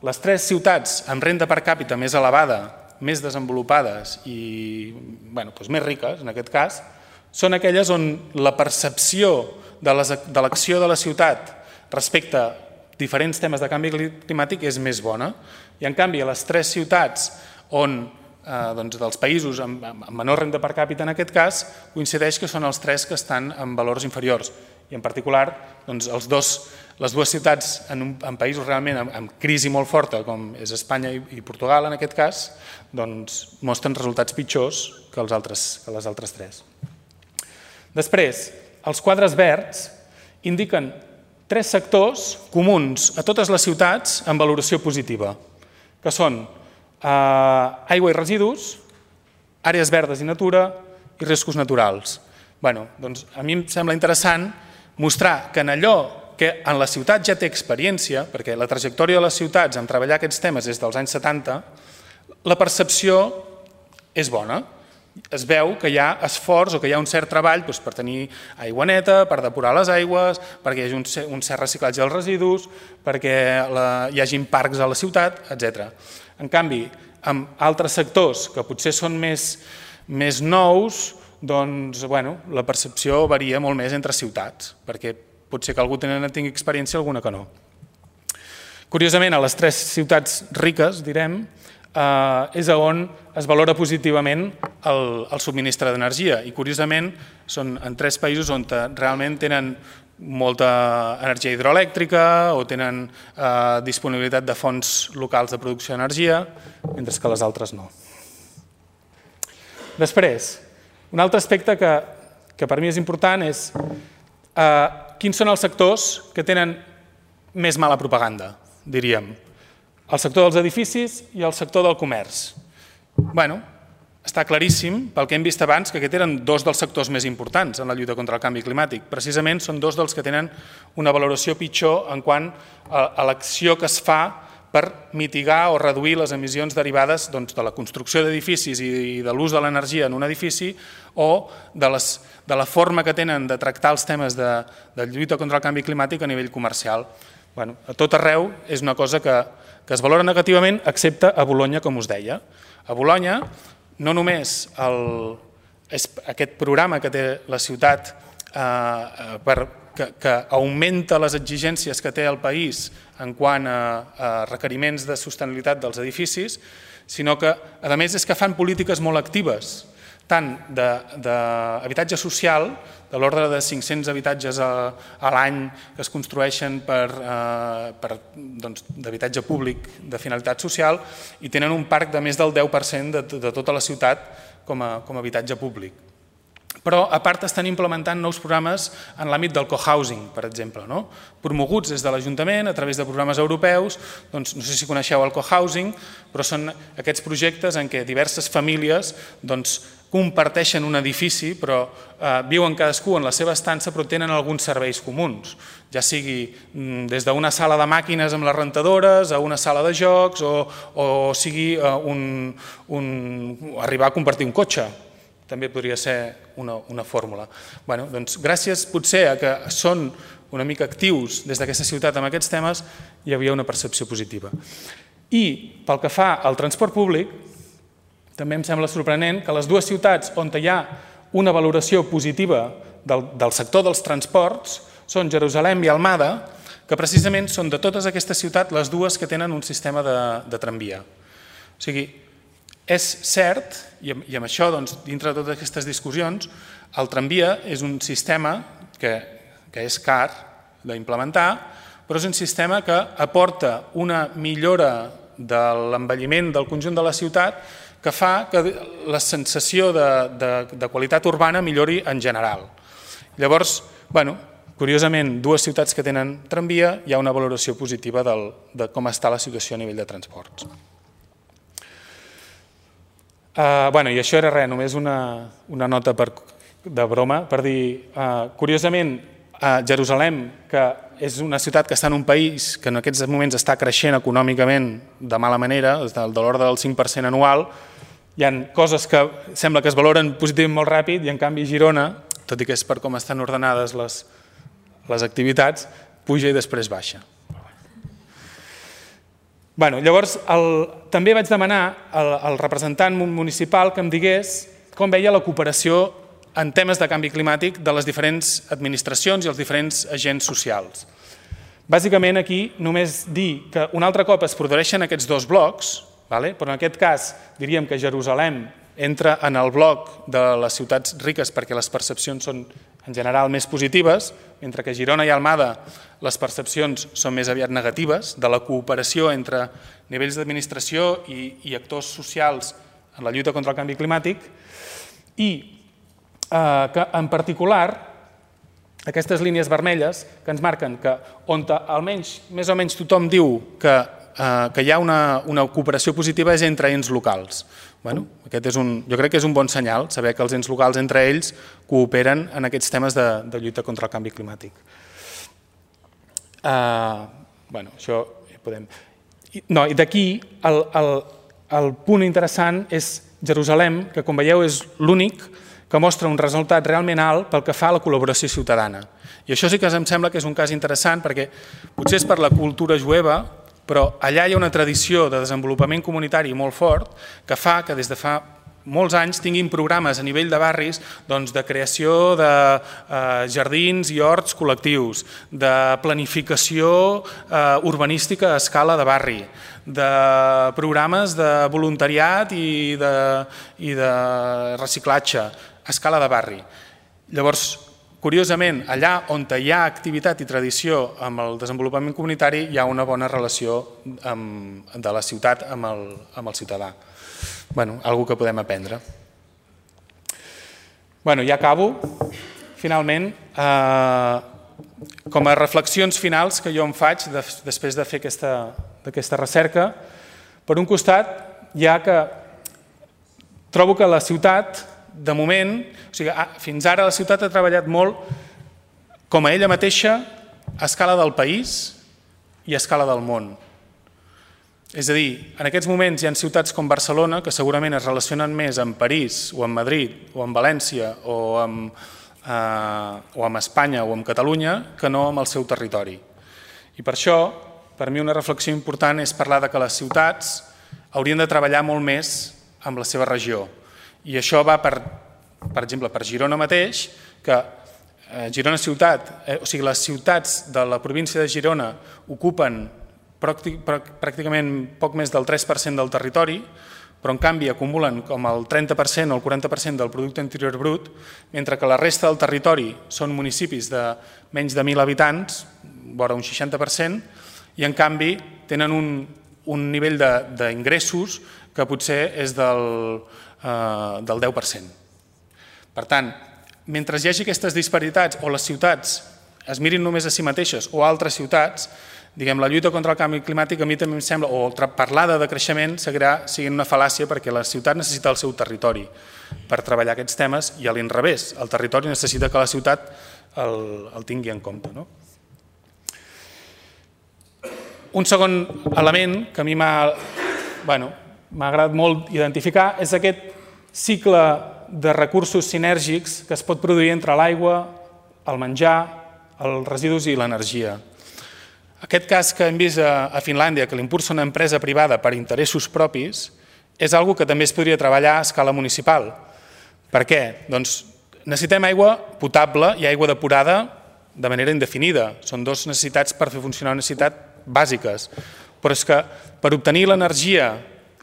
les 3 ciutats amb renda per càpita més elevada, més desenvolupades i més riques, en aquest cas, són aquelles on la percepció de l'acció de la ciutat respecte a diferents temes de canvi climàtic és més bona. I en canvi, a les 3 ciutats dels països amb menor renda per càpita, en aquest cas, coincideix que són els 3 que estan en valors inferiors. I en particular, les 2 ciutats en països realment amb crisi molt forta, com és Espanya i Portugal, en aquest cas, mostren resultats pitjors que les altres 3. Després, els quadres verds indiquen 3 sectors comuns a totes les ciutats amb valoració positiva, que són aigua i residus, àrees verdes i natura i riscos naturals. A mi em sembla interessant mostrar que en allò que en la ciutat ja té experiència, perquè la trajectòria de les ciutats en treballar aquests temes és dels anys 70, la percepció és bona. Es veu que hi ha esforç o que hi ha un cert treball per tenir aigua neta, per depurar les aigües, perquè hi hagi un cert reciclatge dels residus, perquè hi hagi parcs a la ciutat, etc. En canvi, amb altres sectors que potser són més nous, la percepció varia molt més entre ciutats, perquè potser que algú tingui experiència, alguna que no. Curiosament, a les 3 ciutats riques, direm, és on es valora positivament el subministre d'energia i curiosament són en 3 països on realment tenen molta energia hidroelèctrica o tenen disponibilitat de fonts locals de producció d'energia, mentre que les altres no. Després, un altre aspecte que per mi és important és quins són els sectors que tenen més mala propaganda, diríem. El sector dels edificis i el sector del comerç. Està claríssim, pel que hem vist abans, que aquests eren 2 dels sectors més importants en la lluita contra el canvi climàtic. Precisament són 2 dels que tenen una valoració pitjor en quant a l'acció que es fa per mitigar o reduir les emissions derivades de la construcció d'edificis i de l'ús de l'energia en un edifici o de la forma que tenen de tractar els temes de lluita contra el canvi climàtic a nivell comercial. A tot arreu és una cosa que es valora negativament, excepte a Bolonya, com us deia. A Bolonya, no només és aquest programa que té la ciutat que augmenta les exigències que té el país en quant a requeriments de sostenibilitat dels edificis, sinó que, a més, és que fan polítiques molt actives tant d'habitatge social, de l'ordre de 500 habitatges a l'any que es construeixen d'habitatge públic de finalitat social, i tenen un parc de més del 10% de tota la ciutat com a habitatge públic. Però, a part, estan implementant nous programes en l'àmbit del cohousing, per exemple, promoguts des de l'Ajuntament a través de programes europeus. No sé si coneixeu el cohousing, però són aquests projectes en què diverses famílies comparteixen un edifici, però viuen cadascú en la seva estança, però tenen alguns serveis comuns, ja sigui des d'una sala de màquines amb les rentadores a una sala de jocs o sigui arribar a compartir un cotxe. També podria ser una fórmula. Doncs gràcies potser a que són una mica actius des d'aquesta ciutat amb aquests temes, hi havia una percepció positiva. I pel que fa al transport públic, també em sembla sorprenent que les dues ciutats on hi ha una valoració positiva del sector dels transports són Jerusalem i Almada, que precisament són de totes aquestes ciutats les dues que tenen un sistema de tramvia. O sigui, és cert, i amb això, dintre de totes aquestes discussions, el tramvia és un sistema que és car d'implementar, però és un sistema que aporta una millora de l'envelliment del conjunt de la ciutat que fa que la sensació de qualitat urbana millori en general. Llavors, curiosament, dues ciutats que tenen tramvia, hi ha una valoració positiva de com està la situació a nivell de transports. I això era res, només una nota de broma per dir, curiosament, Jerusalem, que és una ciutat que està en un país que en aquests moments està creixent econòmicament de mala manera, de l'ordre del 5% anual, hi ha coses que sembla que es valoren positivament molt ràpid i en canvi Girona, tot i que és per com estan ordenades les activitats, puja i després baixa. Llavors, també vaig demanar al representant municipal que em digués com veia la cooperació en temes de canvi climàtic de les diferents administracions i els diferents agents socials. Bàsicament aquí només dir que un altre cop es produeixen aquests dos blocs, però en aquest cas diríem que Jerusalem entra en el bloc de les ciutats riques perquè les percepcions són en general més positives, mentre que a Girona i Almada les percepcions són més aviat negatives de la cooperació entre nivells d'administració i actors socials en la lluita contra el canvi climàtic, i que en particular aquestes línies vermelles que ens marquen que on almenys més o menys tothom diu que hi ha una cooperació positiva és entre ens locals. Jo crec que és un bon senyal saber que els ens locals entre ells cooperen en aquests temes de lluita contra el canvi climàtic. Això ja podem... I d'aquí el punt interessant és Jerusalem, que com veieu és l'únic que mostra un resultat realment alt pel que fa a la col·laboració ciutadana. I això sí que em sembla que és un cas interessant perquè potser és per la cultura jueva, però allà hi ha una tradició de desenvolupament comunitari molt fort que fa que des de fa molts anys tinguin programes a nivell de barris de creació de jardins i horts col·lectius, de planificació urbanística a escala de barri, de programes de voluntariat i de reciclatge a escala de barri. Llavors, curiosament, allà on hi ha activitat i tradició amb el desenvolupament comunitari hi ha una bona relació de la ciutat amb el ciutadà. Algo que podem aprendre. Ja acabo. Finalment, com a reflexions finals que jo em faig després de fer aquesta recerca, per un costat hi ha que trobo que la ciutat, de moment, fins ara la ciutat ha treballat molt com a ella mateixa a escala del país i a escala del món. És a dir, en aquests moments hi ha ciutats com Barcelona que segurament es relacionen més amb París o amb Madrid o amb València o amb Espanya o amb Catalunya que no amb el seu territori. I per això, per mi una reflexió important és parlar que les ciutats haurien de treballar molt més amb la seva regió. I això va, per exemple, per Girona mateix, que Girona ciutat, o sigui, les ciutats de la província de Girona ocupen pràcticament poc més del 3% del territori, però en canvi acumulen com el 30% o el 40% del producte interior brut, mentre que la resta del territori són municipis de menys de 1.000 habitants, vora un 60%, i en canvi tenen un nivell d'ingressos que potser és del 10%. Per tant, mentre hi hagi aquestes disparitats o les ciutats es mirin només a si mateixes o a altres ciutats, la lluita contra el canvi climàtic a mi també em sembla, o parlar de decreixement seguirà sent una fal·làcia perquè la ciutat necessita el seu territori per treballar aquests temes i a l'inrevés, el territori necessita que la ciutat el tingui en compte. Un segon element que a mi m'ha agradat molt identificar és aquest cicle de recursos sinèrgics que es pot produir entre l'aigua, el menjar, els residus i l'energia. Aquest cas que hem vist a Finlàndia, que l'impulsa una empresa privada per interessos propis, és una cosa que també es podria treballar a escala municipal. Per què? Doncs necessitem aigua potable i aigua depurada de manera indefinida. Són dues necessitats per fer funcionar una necessitat bàsiques. Però és que per obtenir l'energia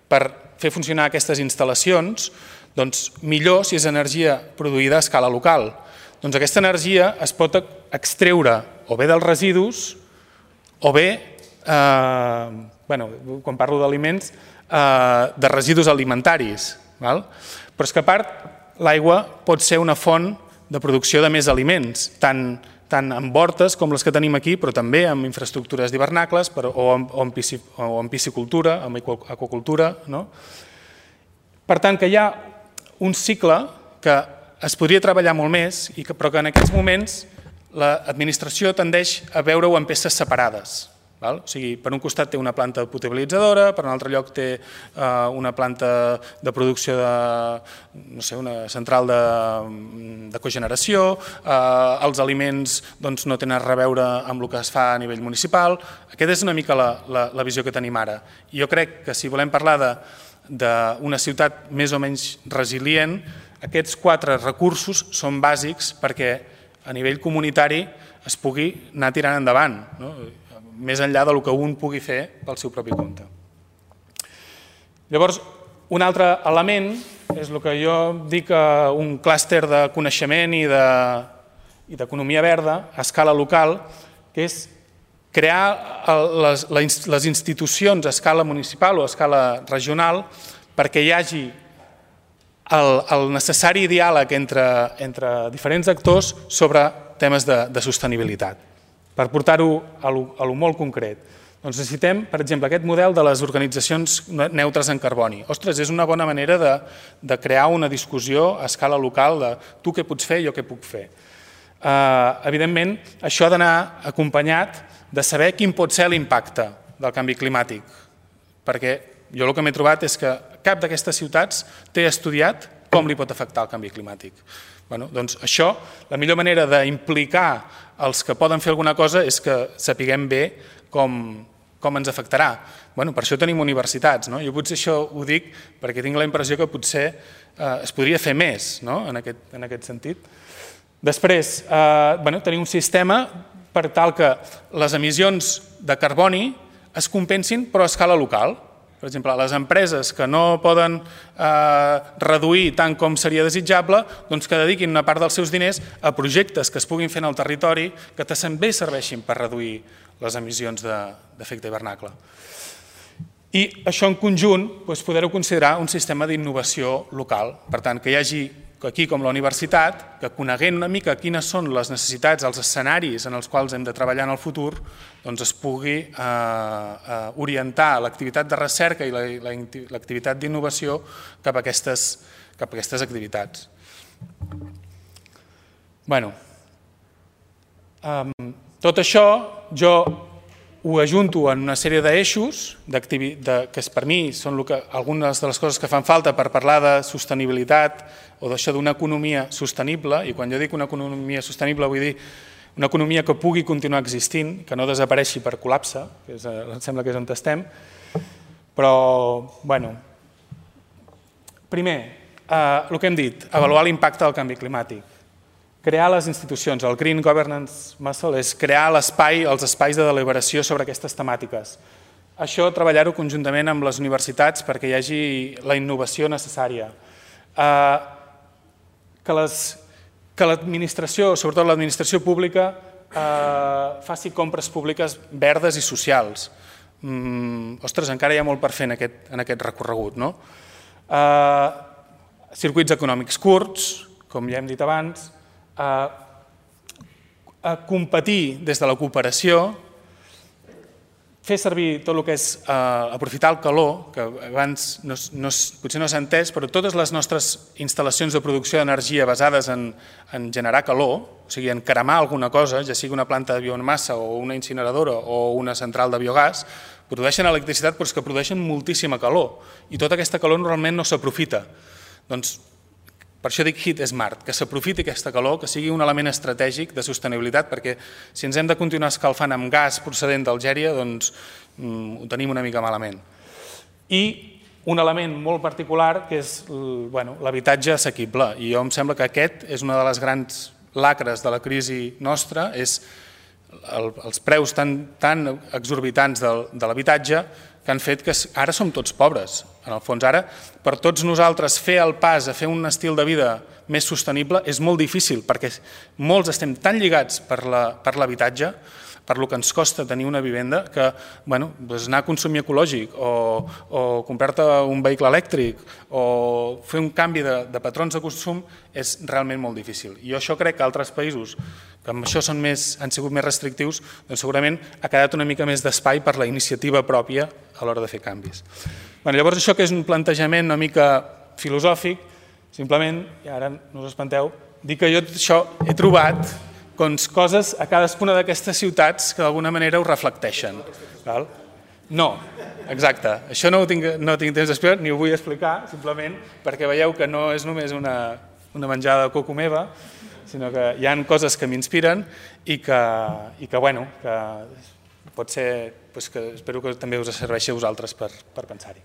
per fer funcionar aquestes instal·lacions, doncs millor si és energia produïda a escala local. Doncs aquesta energia es pot extreure o bé dels residus o bé, quan parlo d'aliments, de residus alimentaris. Però és que a part l'aigua pot ser una font de producció de més aliments, tant en hortes com les que tenim aquí, però també en infraestructures d'hivernacles o en piscicultura, en aquacultura. Per tant, que hi ha un cicle que es podria treballar molt més, però que en aquests moments l'administració tendeix a veure-ho en peces separades. O sigui, per un costat té una planta potabilitzadora, per un altre lloc té una planta de producció una central de cogeneració, els aliments no tenen res a veure amb el que es fa a nivell municipal. Aquesta és una mica la visió que tenim ara. Jo crec que si volem parlar d'una ciutat més o menys resilient, aquests 4 recursos són bàsics perquè a nivell comunitari es pugui anar tirant endavant, més enllà del que un pugui fer pel seu propi compte. Llavors, un altre element és el que jo dic un clúster de coneixement i d'economia verda a escala local, que és crear les institucions a escala municipal o a escala regional perquè hi hagi el necessari diàleg entre diferents actors sobre temes de sostenibilitat. Per portar-ho a lo molt concret, doncs necessitem, per exemple, aquest model de les organitzacions neutres en carboni. Ostres, és una bona manera de crear una discussió a escala local de tu què pots fer, jo què puc fer. Evidentment, això ha d'anar acompanyat de saber quin pot ser l'impacte del canvi climàtic, perquè jo el que m'he trobat és que cap d'aquestes ciutats té estudiat com li pot afectar el canvi climàtic. Doncs això, la millor manera d'implicar els que poden fer alguna cosa és que sapiguem bé com ens afectarà. Per això tenim universitats. Jo potser això ho dic perquè tinc la impressió que potser es podria fer més en aquest sentit. Després, tenir un sistema per tal que les emissions de carboni es compensin però a escala local. Per exemple, les empreses que no poden reduir tant com seria desitjable, doncs que dediquin una part dels seus diners a projectes que es puguin fer en el territori que també serveixin per reduir les emissions d'efecte hivernacle. I això en conjunt poder-ho considerar un sistema d'innovació local. Per tant, que hi hagi aquí com la universitat, que coneguent una mica quines són les necessitats, els escenaris en els quals hem de treballar en el futur, doncs es pugui orientar l'activitat de recerca i l'activitat d'innovació cap a aquestes activitats. Tot això jo ho ajunto en una sèrie d'eixos que per mi són algunes de les coses que fan falta per parlar de sostenibilitat o d'això d'una economia sostenible, i quan jo dic una economia sostenible vull dir una economia que pugui continuar existint, que no desapareixi per col·lapse, que em sembla que és on estem, però, primer, el que hem dit, avaluar l'impacte del canvi climàtic, crear les institucions, el Green Governance Muscle és crear els espais de deliberació sobre aquestes temàtiques, això treballar-ho conjuntament amb les universitats perquè hi hagi la innovació necessària. Que l'administració, sobretot l'administració pública, faci compres públiques verdes i socials. Ostres, encara hi ha molt per fer en aquest recorregut, no? Circuits econòmics curts, com ja hem dit abans, competir des de la cooperació, fer servir tot el que és aprofitar el calor, que abans potser no s'ha entès, però totes les nostres instal·lacions de producció d'energia basades en generar calor, o sigui, en cremar alguna cosa, ja sigui una planta de biomassa o una incineradora o una central de biogàs, produeixen electricitat però és que produeixen moltíssima calor i tota aquesta calor normalment no s'aprofita. Doncs per això dic Heat Smart, que s'aprofiti aquesta calor, que sigui un element estratègic de sostenibilitat, perquè si ens hem de continuar escalfant amb gas procedent d'Algèria, doncs ho tenim una mica malament. I un element molt particular que és l'habitatge assequible, i jo em sembla que aquest és una de les grans lacres de la crisi nostra, és els preus tan exorbitants de l'habitatge que han fet que ara som tots pobres. En el fons, ara, per tots nosaltres fer el pas a fer un estil de vida més sostenible és molt difícil, perquè molts estem tan lligats per l'habitatge, per lo que ens costa tenir una vivenda, que anar a consumir ecològic o comprar-te un vehicle elèctric o fer un canvi de patrons de consum és realment molt difícil. I jo això crec que altres països que amb això han sigut més restrictius, doncs segurament ha quedat una mica més d'espai per la iniciativa pròpia a l'hora de fer canvis. Llavors això que és un plantejament una mica filosòfic, simplement, i ara no us espanteu, dir que jo això he trobat coses a cadascuna d'aquestes ciutats que d'alguna manera ho reflecteixen. No, exacte, això no tinc temps d'explicar, ni ho vull explicar, simplement perquè veieu que no és només una menjada de coco meva, sinó que hi ha coses que m'inspiren i que pot ser, que espero que també us serveixi a vosaltres per pensar-hi.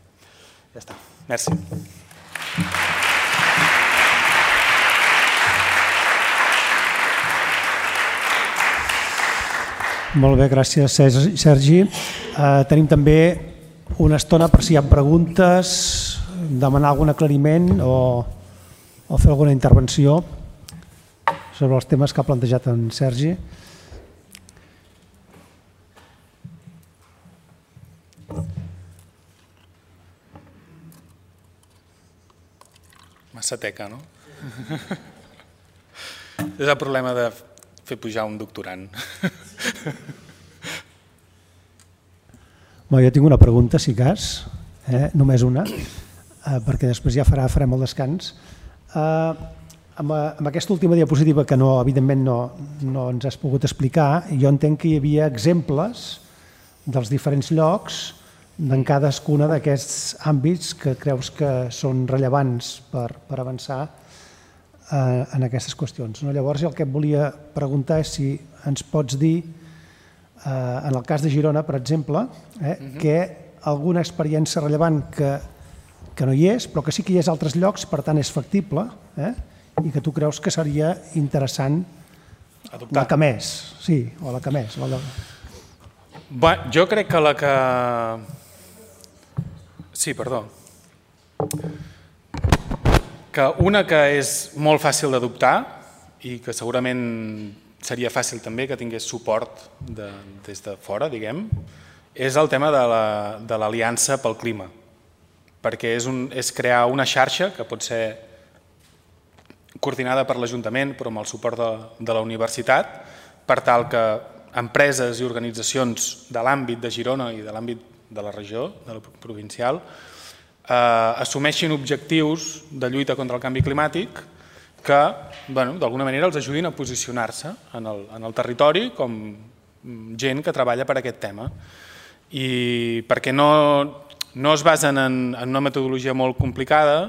Ja està, merci. Molt bé, gràcies Sergi. Tenim també una estona per si hi ha preguntes, demanar algun aclariment o fer alguna intervenció sobre els temes que ha plantejat en Sergi. Massa teca, no? És el problema de fer pujar un doctorant. Jo tinc una pregunta, si cas, només una, perquè després ja farem el descans. Amb aquesta última diapositiva, que evidentment no ens has pogut explicar, jo entenc que hi havia exemples dels diferents llocs en cadascuna d'aquests àmbits que creus que són rellevants per avançar en aquestes qüestions. Llavors, el que et volia preguntar és si ens pots dir, en el cas de Girona, per exemple, que alguna experiència rellevant que no hi és, però que sí que hi és a altres llocs, per tant és factible, i que tu creus que seria interessant la que més. Sí, o la que més. Jo crec que la que... Sí, perdó. Que una que és molt fàcil d'adoptar i que segurament seria fàcil també que tingués suport des de fora, diguem, és el tema de l'Aliança pel Clima, perquè és crear una xarxa que pot ser coordinada per l'Ajuntament però amb el suport de la universitat per tal que empreses i organitzacions de l'àmbit de Girona i de l'àmbit de la regió, de la provincial, assumeixin objectius de lluita contra el canvi climàtic que d'alguna manera els ajudin a posicionar-se en el territori com gent que treballa per aquest tema. I perquè no es basen en una metodologia molt complicada,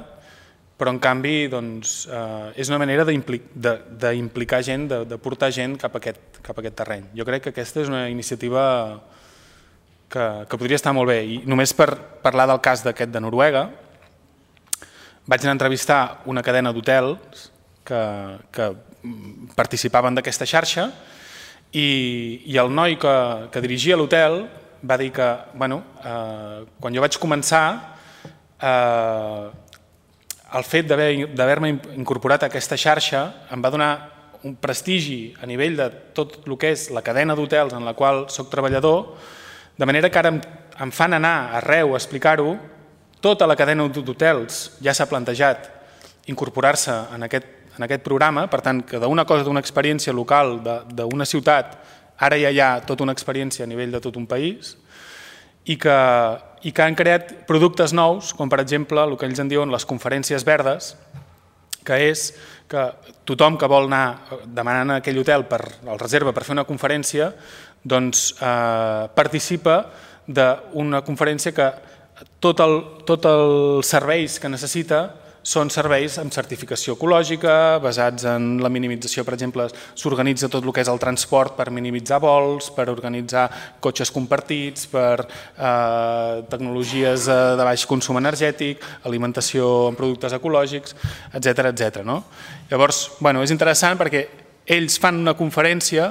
però en canvi és una manera d'implicar gent, de portar gent cap a aquest terreny. Jo crec que aquesta és una iniciativa que podria estar molt bé. I només per parlar del cas d'aquest de Noruega, vaig anar a entrevistar una cadena d'hotels que participaven d'aquesta xarxa i el noi que dirigia l'hotel va dir que, quan jo vaig començar, el fet d'haver-me incorporat a aquesta xarxa em va donar un prestigi a nivell de tot el que és la cadena d'hotels en la qual soc treballador, de manera que ara em fan anar arreu a explicar-ho. Tota la cadena d'hotels ja s'ha plantejat incorporar-se en aquest programa, per tant, que d'una cosa, d'una experiència local d'una ciutat, ara ja hi ha tota una experiència a nivell de tot un país i que han creat productes nous, com per exemple el que ells en diuen les conferències verdes, que és que tothom que vol anar demanant a aquell hotel el reserva per fer una conferència, doncs participa d'una conferència que tots els serveis que necessita són serveis amb certificació ecològica, basats en la minimització, per exemple, s'organitza tot el que és el transport per minimitzar vols, per organitzar cotxes compartits, per tecnologies de baix consum energètic, alimentació amb productes ecològics, etc. Llavors, és interessant perquè ells fan una conferència,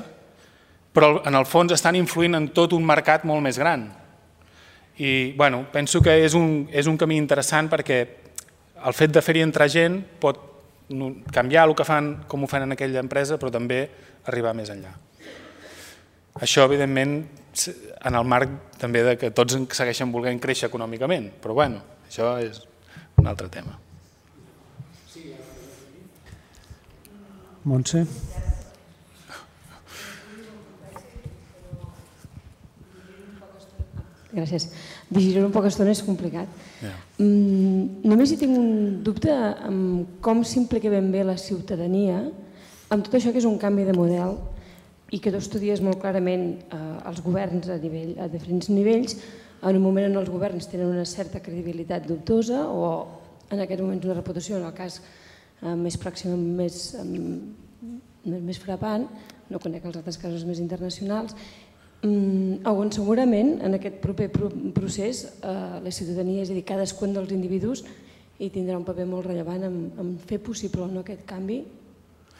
però en el fons estan influint en tot un mercat molt més gran. I penso que és un camí interessant perquè el fet de fer-hi entrar gent pot canviar el que fan, com ho fan en aquella empresa, però també arribar més enllà. Això, evidentment, en el marc també de que tots segueixen volent créixer econòmicament, però això és un altre tema. Montse? Gràcies. Digerir-ho en poca estona és complicat. Només hi tinc un dubte amb com s'implica ben bé la ciutadania amb tot això que és un canvi de model i que tu estudies molt clarament els governs a diferents nivells, en un moment en els governs tenen una certa credibilitat dubtosa o en aquests moments una reputació, en el cas més pròxim, més frapant, no conec els altres casos més internacionals, on segurament en aquest proper procés la ciutadania, és a dir, cadascun dels individus hi tindrà un paper molt rellevant en fer possible o no aquest canvi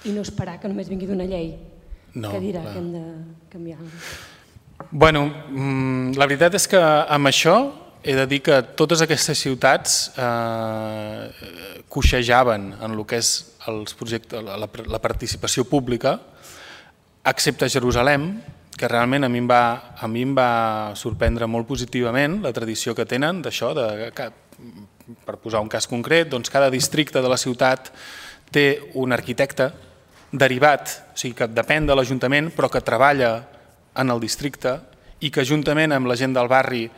i no esperar que només vingui d'una llei que dirà que hem de canviar alguna cosa. La veritat és que amb això he de dir que totes aquestes ciutats coixejaven en el que és la participació pública, excepte Jerusalem, que realment a mi em va sorprendre molt positivament la tradició que tenen d'això, per posar un cas concret, doncs cada districte de la ciutat té un arquitecte derivat, o sigui que depèn de l'Ajuntament però que treballa en el districte i que juntament amb la gent del barri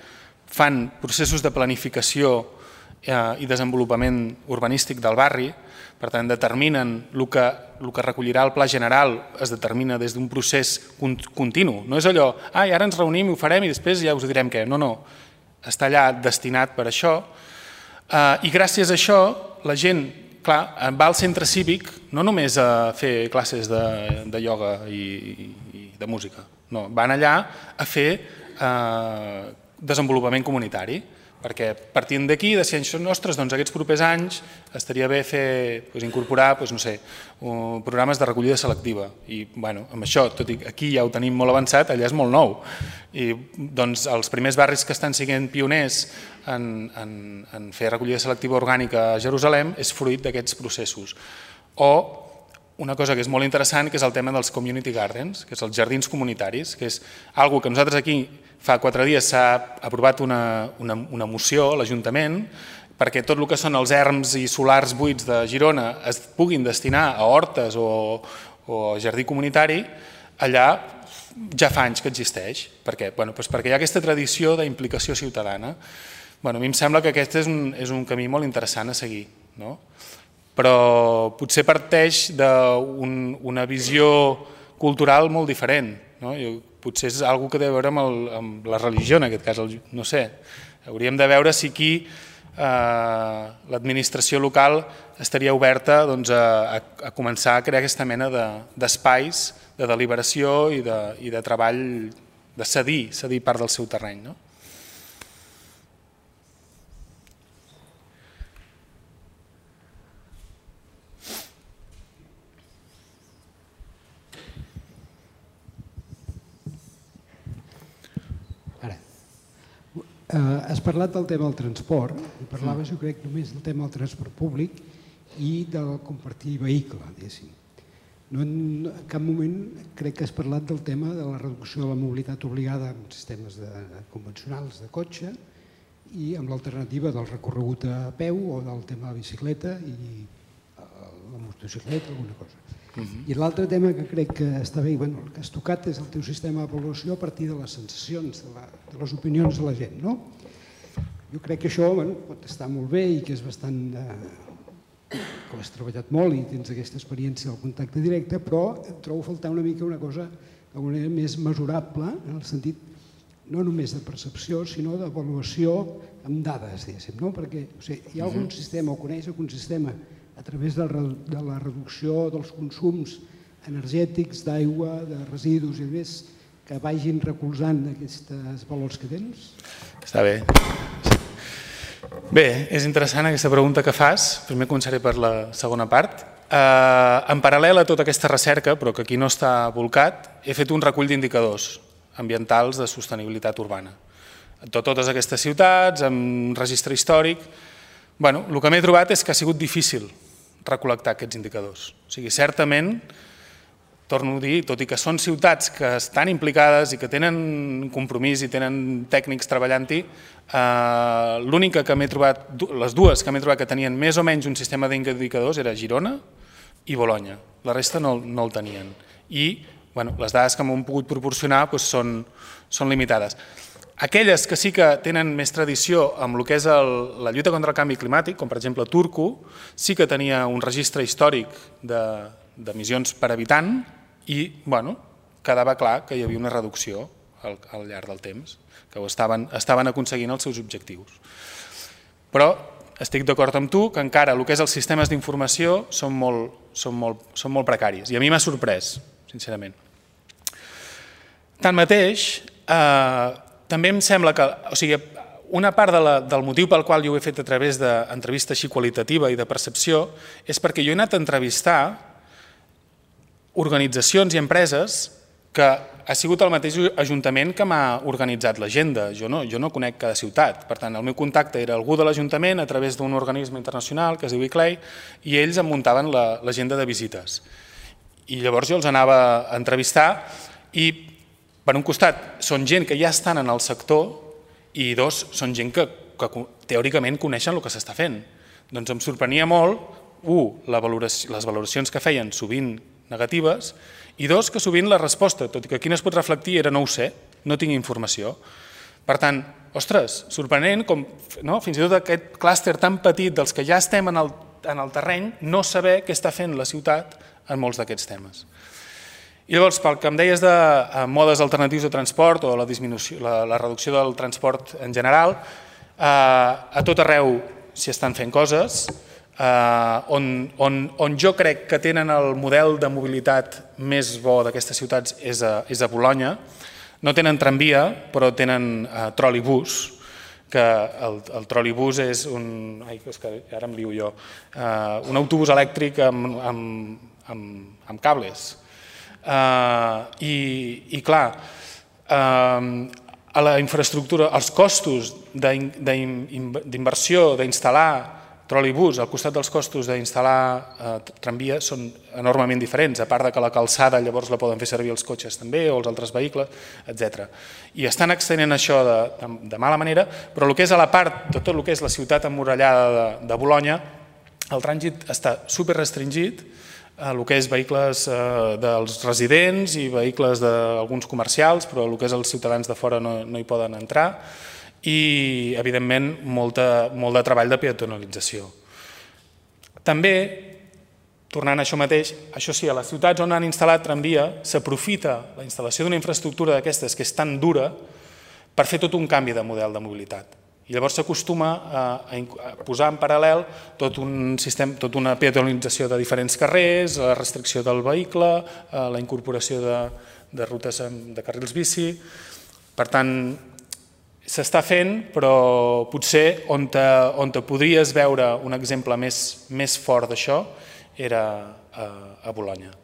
fan processos de planificació i desenvolupament urbanístic del barri. Per tant, determinen el que recollirà el pla general, es determina des d'un procés continu. No és allò, ara ens reunim i ho farem i després ja us direm què. No, està allà destinat per això. I gràcies a això la gent, clar, va al centre cívic no només a fer classes de ioga i de música, no, van allà a fer desenvolupament comunitari. Perquè partint d'aquí, de ciències nostres, doncs aquests propers anys estaria bé incorporar programes de recollida selectiva. I amb això, tot i que aquí ja ho tenim molt avançat, allà és molt nou. I doncs els primers barris que estan sent pioners en fer recollida selectiva orgànica a Jerusalem és fruit d'aquests processos. O una cosa que és molt interessant, que és el tema dels community gardens, que és els jardins comunitaris, que és una cosa que nosaltres aquí fa 4 dies s'ha aprovat una moció a l'Ajuntament perquè tot el que són els erms i solars buits de Girona es puguin destinar a hortes o a jardí comunitari. Allà ja fa anys que existeix. Per què? Perquè hi ha aquesta tradició d'implicació ciutadana. A mi em sembla que aquest és un camí molt interessant a seguir, però potser parteix d'una visió cultural molt diferent. Potser és una cosa que té a veure amb la religió, en aquest cas, no sé. Hauríem de veure si aquí l'administració local estaria oberta a començar a crear aquesta mena d'espais de deliberació i de treball, de cedir part del seu terreny. has parlat del tema del transport, i parlaves, jo crec, només del tema del transport públic i del compartir vehicle, diguéssim. No, en cap moment crec que has parlat del tema de la reducció de la mobilitat obligada en sistemes convencionals de cotxe i amb l'alternativa del recorregut a peu o del tema de la bicicleta i la motocicleta, alguna cosa. I l'altre tema que crec que està bé, el que has tocat és el teu sistema d'avaluació a partir de les sensacions, de les opinions de la gent. Jo crec que això pot estar molt bé i que és bastant... que ho has treballat molt i tens aquesta experiència del contacte directe, però trobo faltar una mica una cosa d'alguna manera més mesurable, en el sentit no només de percepció, sinó d'avaluació amb dades, diguéssim, perquè hi ha algun sistema o coneix algun sistema a través de la reducció dels consums energètics, d'aigua, de residus i més, que vagin recolzant aquests valors que tens? Està bé. Bé, és interessant aquesta pregunta que fas. Primer començaré per la segona part. En paral·lel a tota aquesta recerca, però que aquí no està volcat, he fet un recull d'indicadors ambientals de sostenibilitat urbana. De totes aquestes ciutats, amb registre històric. El que m'he trobat és que ha sigut difícil recol·lectar aquests indicadors. O sigui, certament, torno a dir, tot i que són ciutats que estan implicades i que tenen compromís i tenen tècnics treballant-hi, l'única que m'he trobat, les dues que m'he trobat que tenien més o menys un sistema d'indicadors era Girona i Bolonya. La resta no el tenien. I les dades que m'han pogut proporcionar són limitades. Aquelles que sí que tenen més tradició amb el que és la lluita contra el canvi climàtic, com per exemple Turku, sí que tenia un registre històric d'emissions per habitant i quedava clar que hi havia una reducció al llarg del temps, que estaven aconseguint els seus objectius. Però estic d'acord amb tu que encara el que és els sistemes d'informació són molt precaris i a mi m'ha sorprès, sincerament. Tanmateix, també em sembla que una part del motiu pel qual jo ho he fet a través d'entrevista així qualitativa i de percepció és perquè jo he anat a entrevistar organitzacions i empreses que ha sigut el mateix Ajuntament que m'ha organitzat l'agenda. Jo no conec cada ciutat. Per tant, el meu contacte era algú de l'Ajuntament a través d'un organisme internacional que es diu ICLEI i ells em muntaven l'agenda de visites. I llavors jo els anava a entrevistar i, per un costat, són gent que ja estan en el sector i dos, són gent que teòricament coneixen el que s'està fent. Doncs em sorprenia molt, les valoracions que feien sovint negatives, i dos, que sovint la resposta, tot i que aquí no es pot reflectir, era no ho sé, no tinc informació. Per tant, ostres, sorprenent com fins i tot aquest clúster tan petit dels que ja estem en el terreny no saber què està fent la ciutat en molts d'aquests temes. I llavors, pel que em deies de modes alternatius de transport o la reducció del transport en general, a tot arreu s'hi estan fent coses. On jo crec que tenen el model de mobilitat més bo d'aquestes ciutats és a Bolonya. No tenen tramvia, però tenen trolibús, que el trolibús és ara em lío jo, un autobús elèctric amb cables. I clar, a la infraestructura, els costos d'inversió, d'instal·lar trolibús al costat dels costos d'instal·lar tramvia són enormement diferents, a part que la calçada llavors la poden fer servir els cotxes també o els altres vehicles, etc. I estan extenent això de mala manera, però el que és a la part de tot el que és la ciutat emmurallada de Bolonya, el trànsit està superrestringit, el que és vehicles dels residents i vehicles d'alguns comercials, però el que és els ciutadans de fora no hi poden entrar, i, evidentment, molt de treball de peatonalització. També, tornant a això mateix, això sí, a les ciutats on han instal·lat tramvia s'aprofita la instal·lació d'una infraestructura d'aquestes que és tan dura per fer tot un canvi de model de mobilitat. I llavors s'acostuma a posar en paral·lel tota una peatonalització de diferents carrers, la restricció del vehicle, la incorporació de rutes de carrils bici. Per tant, s'està fent, però potser on podries veure un exemple més fort d'això era a Bolonya.